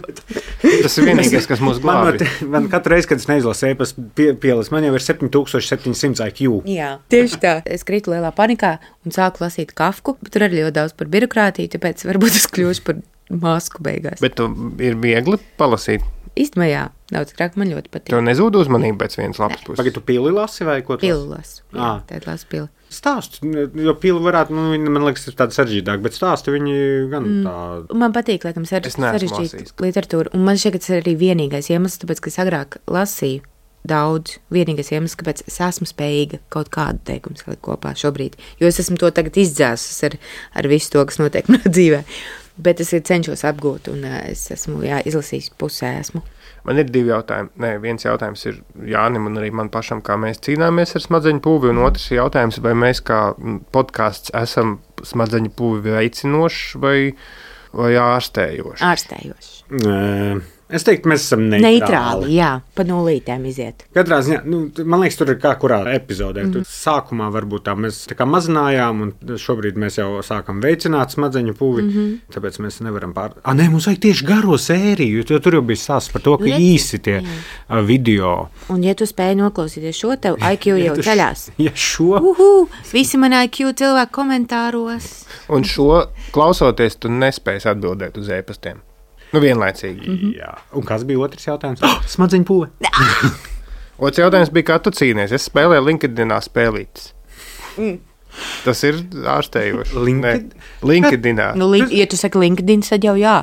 Tas ir vienīgais, kas mūs glābi. Man katru reizi, kad es neizlasu e-pastu pielis, man jau ir 7700 IQ. Jā, tieši tā. Es krītu lielā panikā un sāku lasīt Kafku, bet tur arī ļoti daudz par birokrātiju, tāpēc varbūt es kļūšu par masku beigās. Bet tu ir viegli palasīt? Īstenībā jā, daudz krāk man ļoti patīk. Tev nezūd uzmanība pēc vienas lapas puses? Pagad, tu pili lasi vai ko tu lasi? Pili lasu, jā, tad lasu pili. Stāstu, jo pili varētu, man liekas, ir tāda sarežģītāk, bet stāsti viņi gan tā... Man patīk, laikam, sarežģīt literatūru, un man šķiet, ka tas ir arī vienīgais iemesls, tāpēc, ka es agrāk lasīju daudz, vienīgais iemesls, kāpēc es esmu spējīga kaut kādu teikumu salikt kopā šobrīd, jo es esmu to tagad izdzēsus ar visu to, kas notiek manā dzīvē, bet es cenšos apgūt, un es esmu, izlasījis pusē esmu. Man ir 2 jautājumi. Nē, viens jautājums ir Jānim un arī man pašam, kā mēs cīnāmies ar smadzeņu puvi, un otrs jautājums, vai mēs kā podkāsts esam smadzeņu puvi veicinoši vai ārstējoši? Ārstējoši. Es teiktu, mēs esam neitrāli. Jā, pa nulītēm iziet. Katrā ziņā, man liekas, tur ir kā kurā epizodē. Tur sākumā varbūt tā mēs tā kā mazinājām, un šobrīd mēs jau sākam veicināt smadzeņu puvi, tāpēc mēs nevaram nē, mums vajag tieši garo sēriju, jo tur jau bija stāsts par to, ka īsi tie video. Un ja tu spēji noklausīties šo, tev IQ jau ceļās. Ja šo? Visi man IQ cilvēki komentāros. Un šo klausoties, tu nespēji atbildēt uz e-pastiem. Vienlaicīgi. Jā. Un kas bija otrs jautājums? Smadzeņu puve. Otrs jautājums bija, kā tu cīnies. Es spēlēju LinkedInā spēlītes. Tas ir ārstējoši. LinkedInā? Ja tu saki LinkedIn, tad jau jā.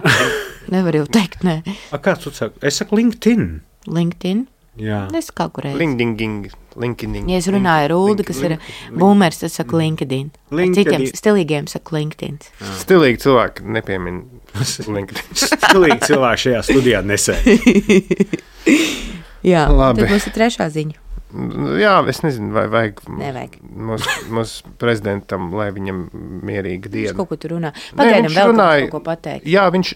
Nevar jau teikt, nē. Kāds tu saki? Es saku LinkedIn. LinkedIn? Jā. Es kaut kur LinkedIn. Ja es runāju ar Uldi, kas ir boomers, tad saku LinkedIn. Citiem stilīgiem saku LinkedIn. Stilīgi cilvēki nepiemin LinkedIn. Stilīgi cilvēki šajā studijā nesēž. Jā, labi. Tad mums ir trešā ziņa. Jā, es nezinu, vai vajag Nevajag. Mūsu prezidentam, lai viņam mierīga diena. Viņš kaut ko tur runā. Pagaidām vēl kaut ko pateikt. Jā, viņš,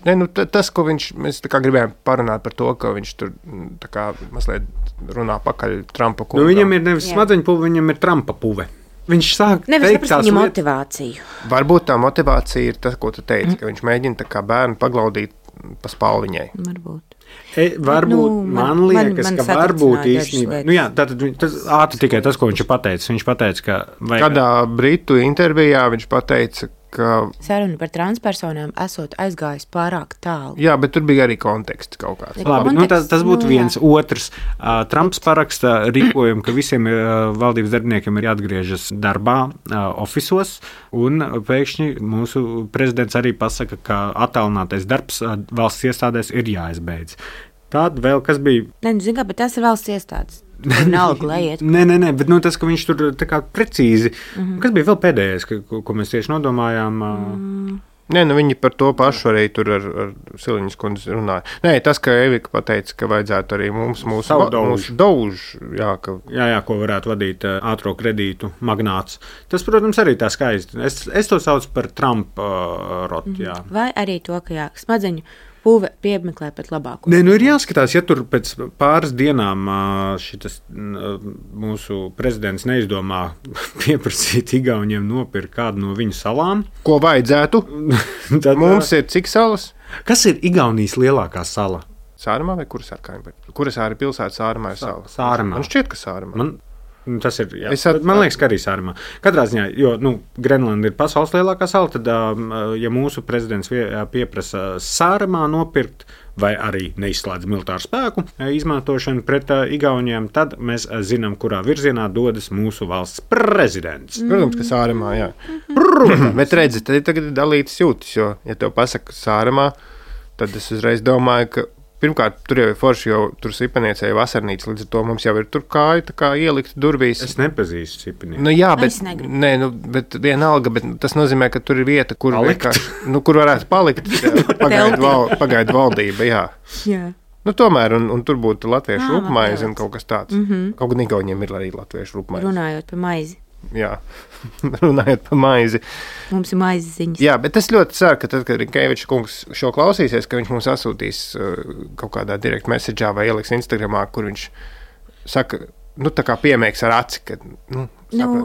tas, ko mēs tā kā gribējām parunāt par to, ka viņš tur tā kā mazliet runā pakaļ Trumpa kungam. Viņam ir nevis smadzeņpuve, viņam ir Trumpa puve. Viņš sāk teikt tās viņa motivāciju. Varbūt tā motivācija ir tas, ko tu teici, ka viņš mēģina tā kā bērnu paglaudīt pa spalviņai. Varbūt. Varbūt man liekas, ka varbūt īstenībā. Jā, tātad tas ātri tikai tas, ko viņš ir pateicis. Viņš pateica, ka kādā britu intervijā viņš pateica, ka saruna par transpersonām esot aizgājis pārāk tālu. Jā, bet tur bija arī konteksts kaut kāds. Labi, tas būtu viens. Otrs. Trumps paraksta rīkojumu, ka visiem valdības darbiniekiem ir jāatgriežas darbā, ofisos, un pēkšņi mūsu prezidents arī pasaka, ka attālinātais darbs valsts iestādēs ir jāizbeidz. Tāda vēl kas bija? Zinu, bet tas ir valsts iestādes. Vienalga, lai iet. Nē, bet tas, ka viņš tur tā kā precīzi. Kas bija vēl pēdējais, ko mēs tieši nodomājām? Nē, viņi par to pašu arī tur ar Siliņas kundzi runāja. Nē, tas, ka Evika pateica, ka vajadzētu arī mūsu daužu. Jā, ko varētu vadīt ātro kredītu magnāts. Tas, protams, arī tā skaisti. Es to saucu par Trumpa rotu. Vai arī to, ka smadzeņu puve piemeklē pat labāko. Nē, ir jāskatās, ja tur pēc pāris dienām šitas mūsu prezidents neizdomā pieprasīt Igauniem nopirkt kādu no viņu salām. Ko vajadzētu? Tad mums ir cik salas? Kas ir Igaunijas lielākā sala? Sāremā vai Kurasārkā? Kurasāra pilsēta Sāremā ir sala? Sāremā. Man šķiet, ka Sāremā. Tas ir, man liekas, ka arī Sāremā. Katrā ziņā, jo Grenlanda ir pasaules lielākā sala, tad, ja mūsu prezidents pieprasa Sāremā nopirkt vai arī neizslēdz militāru spēku izmantošanu pret Igauniem, tad mēs zinām, kurā virzienā dodas mūsu valsts prezidents. Protams, ka Sāremā, jā. Bet redzi, tad ir tagad dalītas jūtas, jo, ja tev pasaka Sāremā, tad es uzreiz domāju, ka pirmkārt, tur jau ir forši, jo tur Sipaniecē ir vasarnīca, līdz ar to mums jau ir tur kāja tā kā ielikt durvīs. Es nepazīstu Sipanieci. Jā, bet vienalga, bet tas nozīmē, ka tur ir vieta, kur kur varētu palikt pagaidu valdība, jā. Tomēr, un tur būtu latviešu rupmaize un kaut kas tāds. Kaut gan Igauniem ir arī latviešu rupmaize. Runājot par maizi. Jā, runājot par maizi. Mums ir maizes ziņas. Jā, bet es ļoti ceru, ka tad, kad Rinkevičs kungs šo klausīsies, ka viņš mums atsūtīs kaut kādā direct message'ā vai ieliks Instagramā, kur viņš saka, tā kā piemēks ar aci, ka,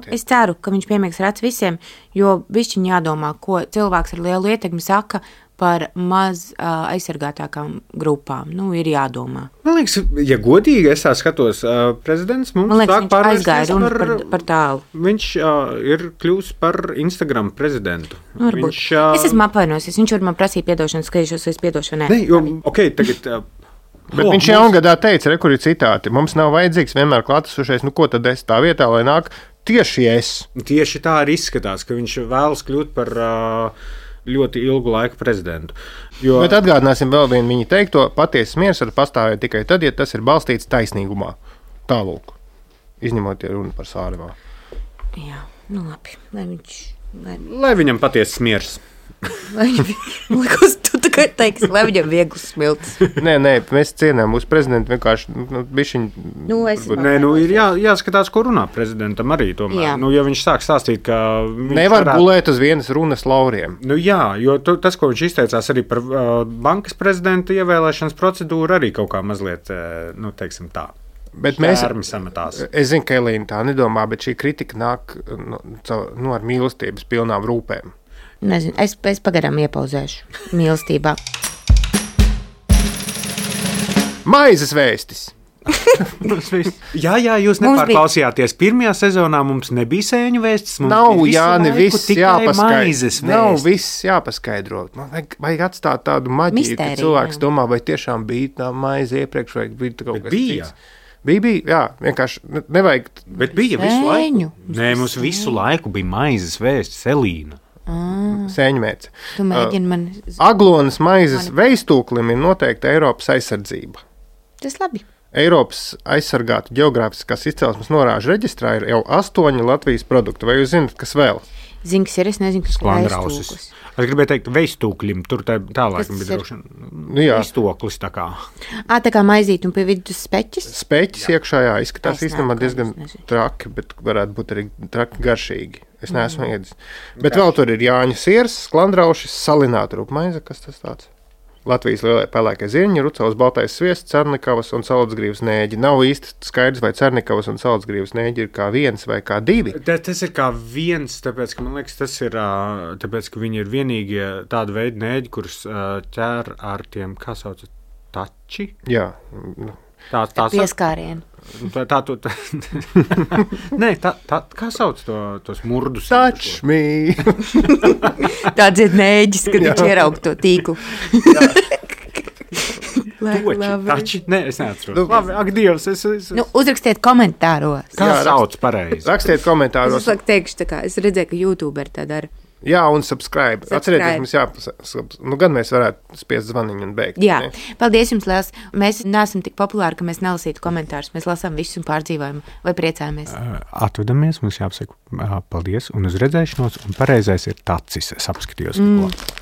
es ceru, ka viņš piemēks ar aci visiem, jo bišķiņ jādomā, ko cilvēks ar lielu ietekmi saka par maz aizsargātākām grupām. Ir jādomā. Man liekas, ja godīgi es tā skatos, prezidents mums sāk pārvērsties par tālu. Viņš ir kļūs par Instagram prezidentu. Es esmu apvainosies. Viņš var man prasīt piedošanas, ka es piedošu. Nē, tagad... Bet viņš jaungadā teica, kur ir citāti. Mums nav vajadzīgs vienmēr klātesošais, ko tad es tā vietā, lai nāk tieši es. Tieši tā arī izskatās, ka viņš vēlas kļūt par... ļoti ilgu laiku prezidentu. Bet atgādināsim vēl vienu viņa teikto, patiesas miers var pastāvēt tikai tad, ja tas ir balstīts taisnīgumā. Tālūk, izņemot runu par Sāremā. Jā, labi. Lai viņam patiesas miers. Lai viņam viegls smilts. Nē, mēs cienām mūsu prezidentu vienkārši bišķiņ. Ir jāskatās, ko runā prezidentam arī tomēr. Ja viņš sāk stāstīt, ka nevar gulēt uz vienas runas lauriem. Jo tas, ko viņš izteicās arī par bankas prezidenta ievēlēšanas procedūru, arī kaut kā mazliet, teiksim tā. Bet es zinu, ka Elīna tā nedomā, bet šī kritika nāk ar mīlestības pilnām rūpēm. Nezinu, es pagaidām iepauzēšu mīlestībā. Maizes vēstis! Jā, jūs nepārklausījāties. Pirmajā sezonā mums nebija sēņu vēstis. Nav, Jāni, viss jāpaskaidro. Vajag atstāt tādu maģiju, ka cilvēks domā, vai tiešām bija tā maize iepriekš, vai bija kaut kas cits. Bija, jā, vienkārši nevajag. Bet bija visu laiku. Nē, mums visu laiku bija maizes vēstis, Elīna. Sēņmērce. Tu mēģini man... Aglonas maizes veistūklim ir noteikta Eiropas aizsardzība. Tas labi. Eiropas aizsargātu ģeogrāfiskās izcelsmes norāžu reģistrā ir jau 8 Latvijas produkti. Vai jūs zināt, kas vēl? Zinu, kas ir, es nezinu, kas ir veistūklis. Es gribēju teikt, veistūklim, tur tālāk bija droši. Veistūklis tā kā. Tā kā maizīt un pie vidus speķis? Speķis iekšā, jā, izskatās īstenībā diezgan traki, bet varētu būt arī traki garšīgi. Es neesmu ēdis. Bet vēl tur ir Jāņu siers, sklandraušas, salināta rupmaize, kas tas tāds? Latvijas lielie pelēkie zirņi, rucavas baltais sviests, cernikavas un salacgrīvas nēģi. Nav īsti skaidrs, vai cernikavas un salacgrīvas nēģi ir kā viens vai kā divi. Tas ir kā viens, tāpēc, ka man liekas, tas ir, tāpēc, ka viņi ir vienīgie tādi veidi nēģi, kurus ķer ar tiem, kā sauc, tači? Jā. Tā pieskārienu. Nē, kā sauc tos murdus? Touch me! Tāds ir nēģis, kad viņš ieraug to tīklu. Tači? Nē, es neatceros. Labi, ak, Dievs, uzrakstiet komentāros. Kā sauc pareizi? Rakstiet komentāros. Es teikšu tā kā, es redzēju, ka YouTuberi tā dara. Jā, un subscribe. Atcerieties, mums gan mēs varētu spiest zvaniņu un beigt. Jā, paldies jums liels. Mēs neesam tik populāri, ka mēs nelasītu komentārus. Mēs lasām visus un pārdzīvojam vai priecājamies. Atvedamies, mums jāpasaka paldies un uz redzēšanos. Un pareizais ir tacis. Es apskatījos.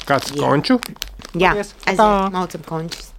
Kāds konču? Jā, aiziet, maucam končus.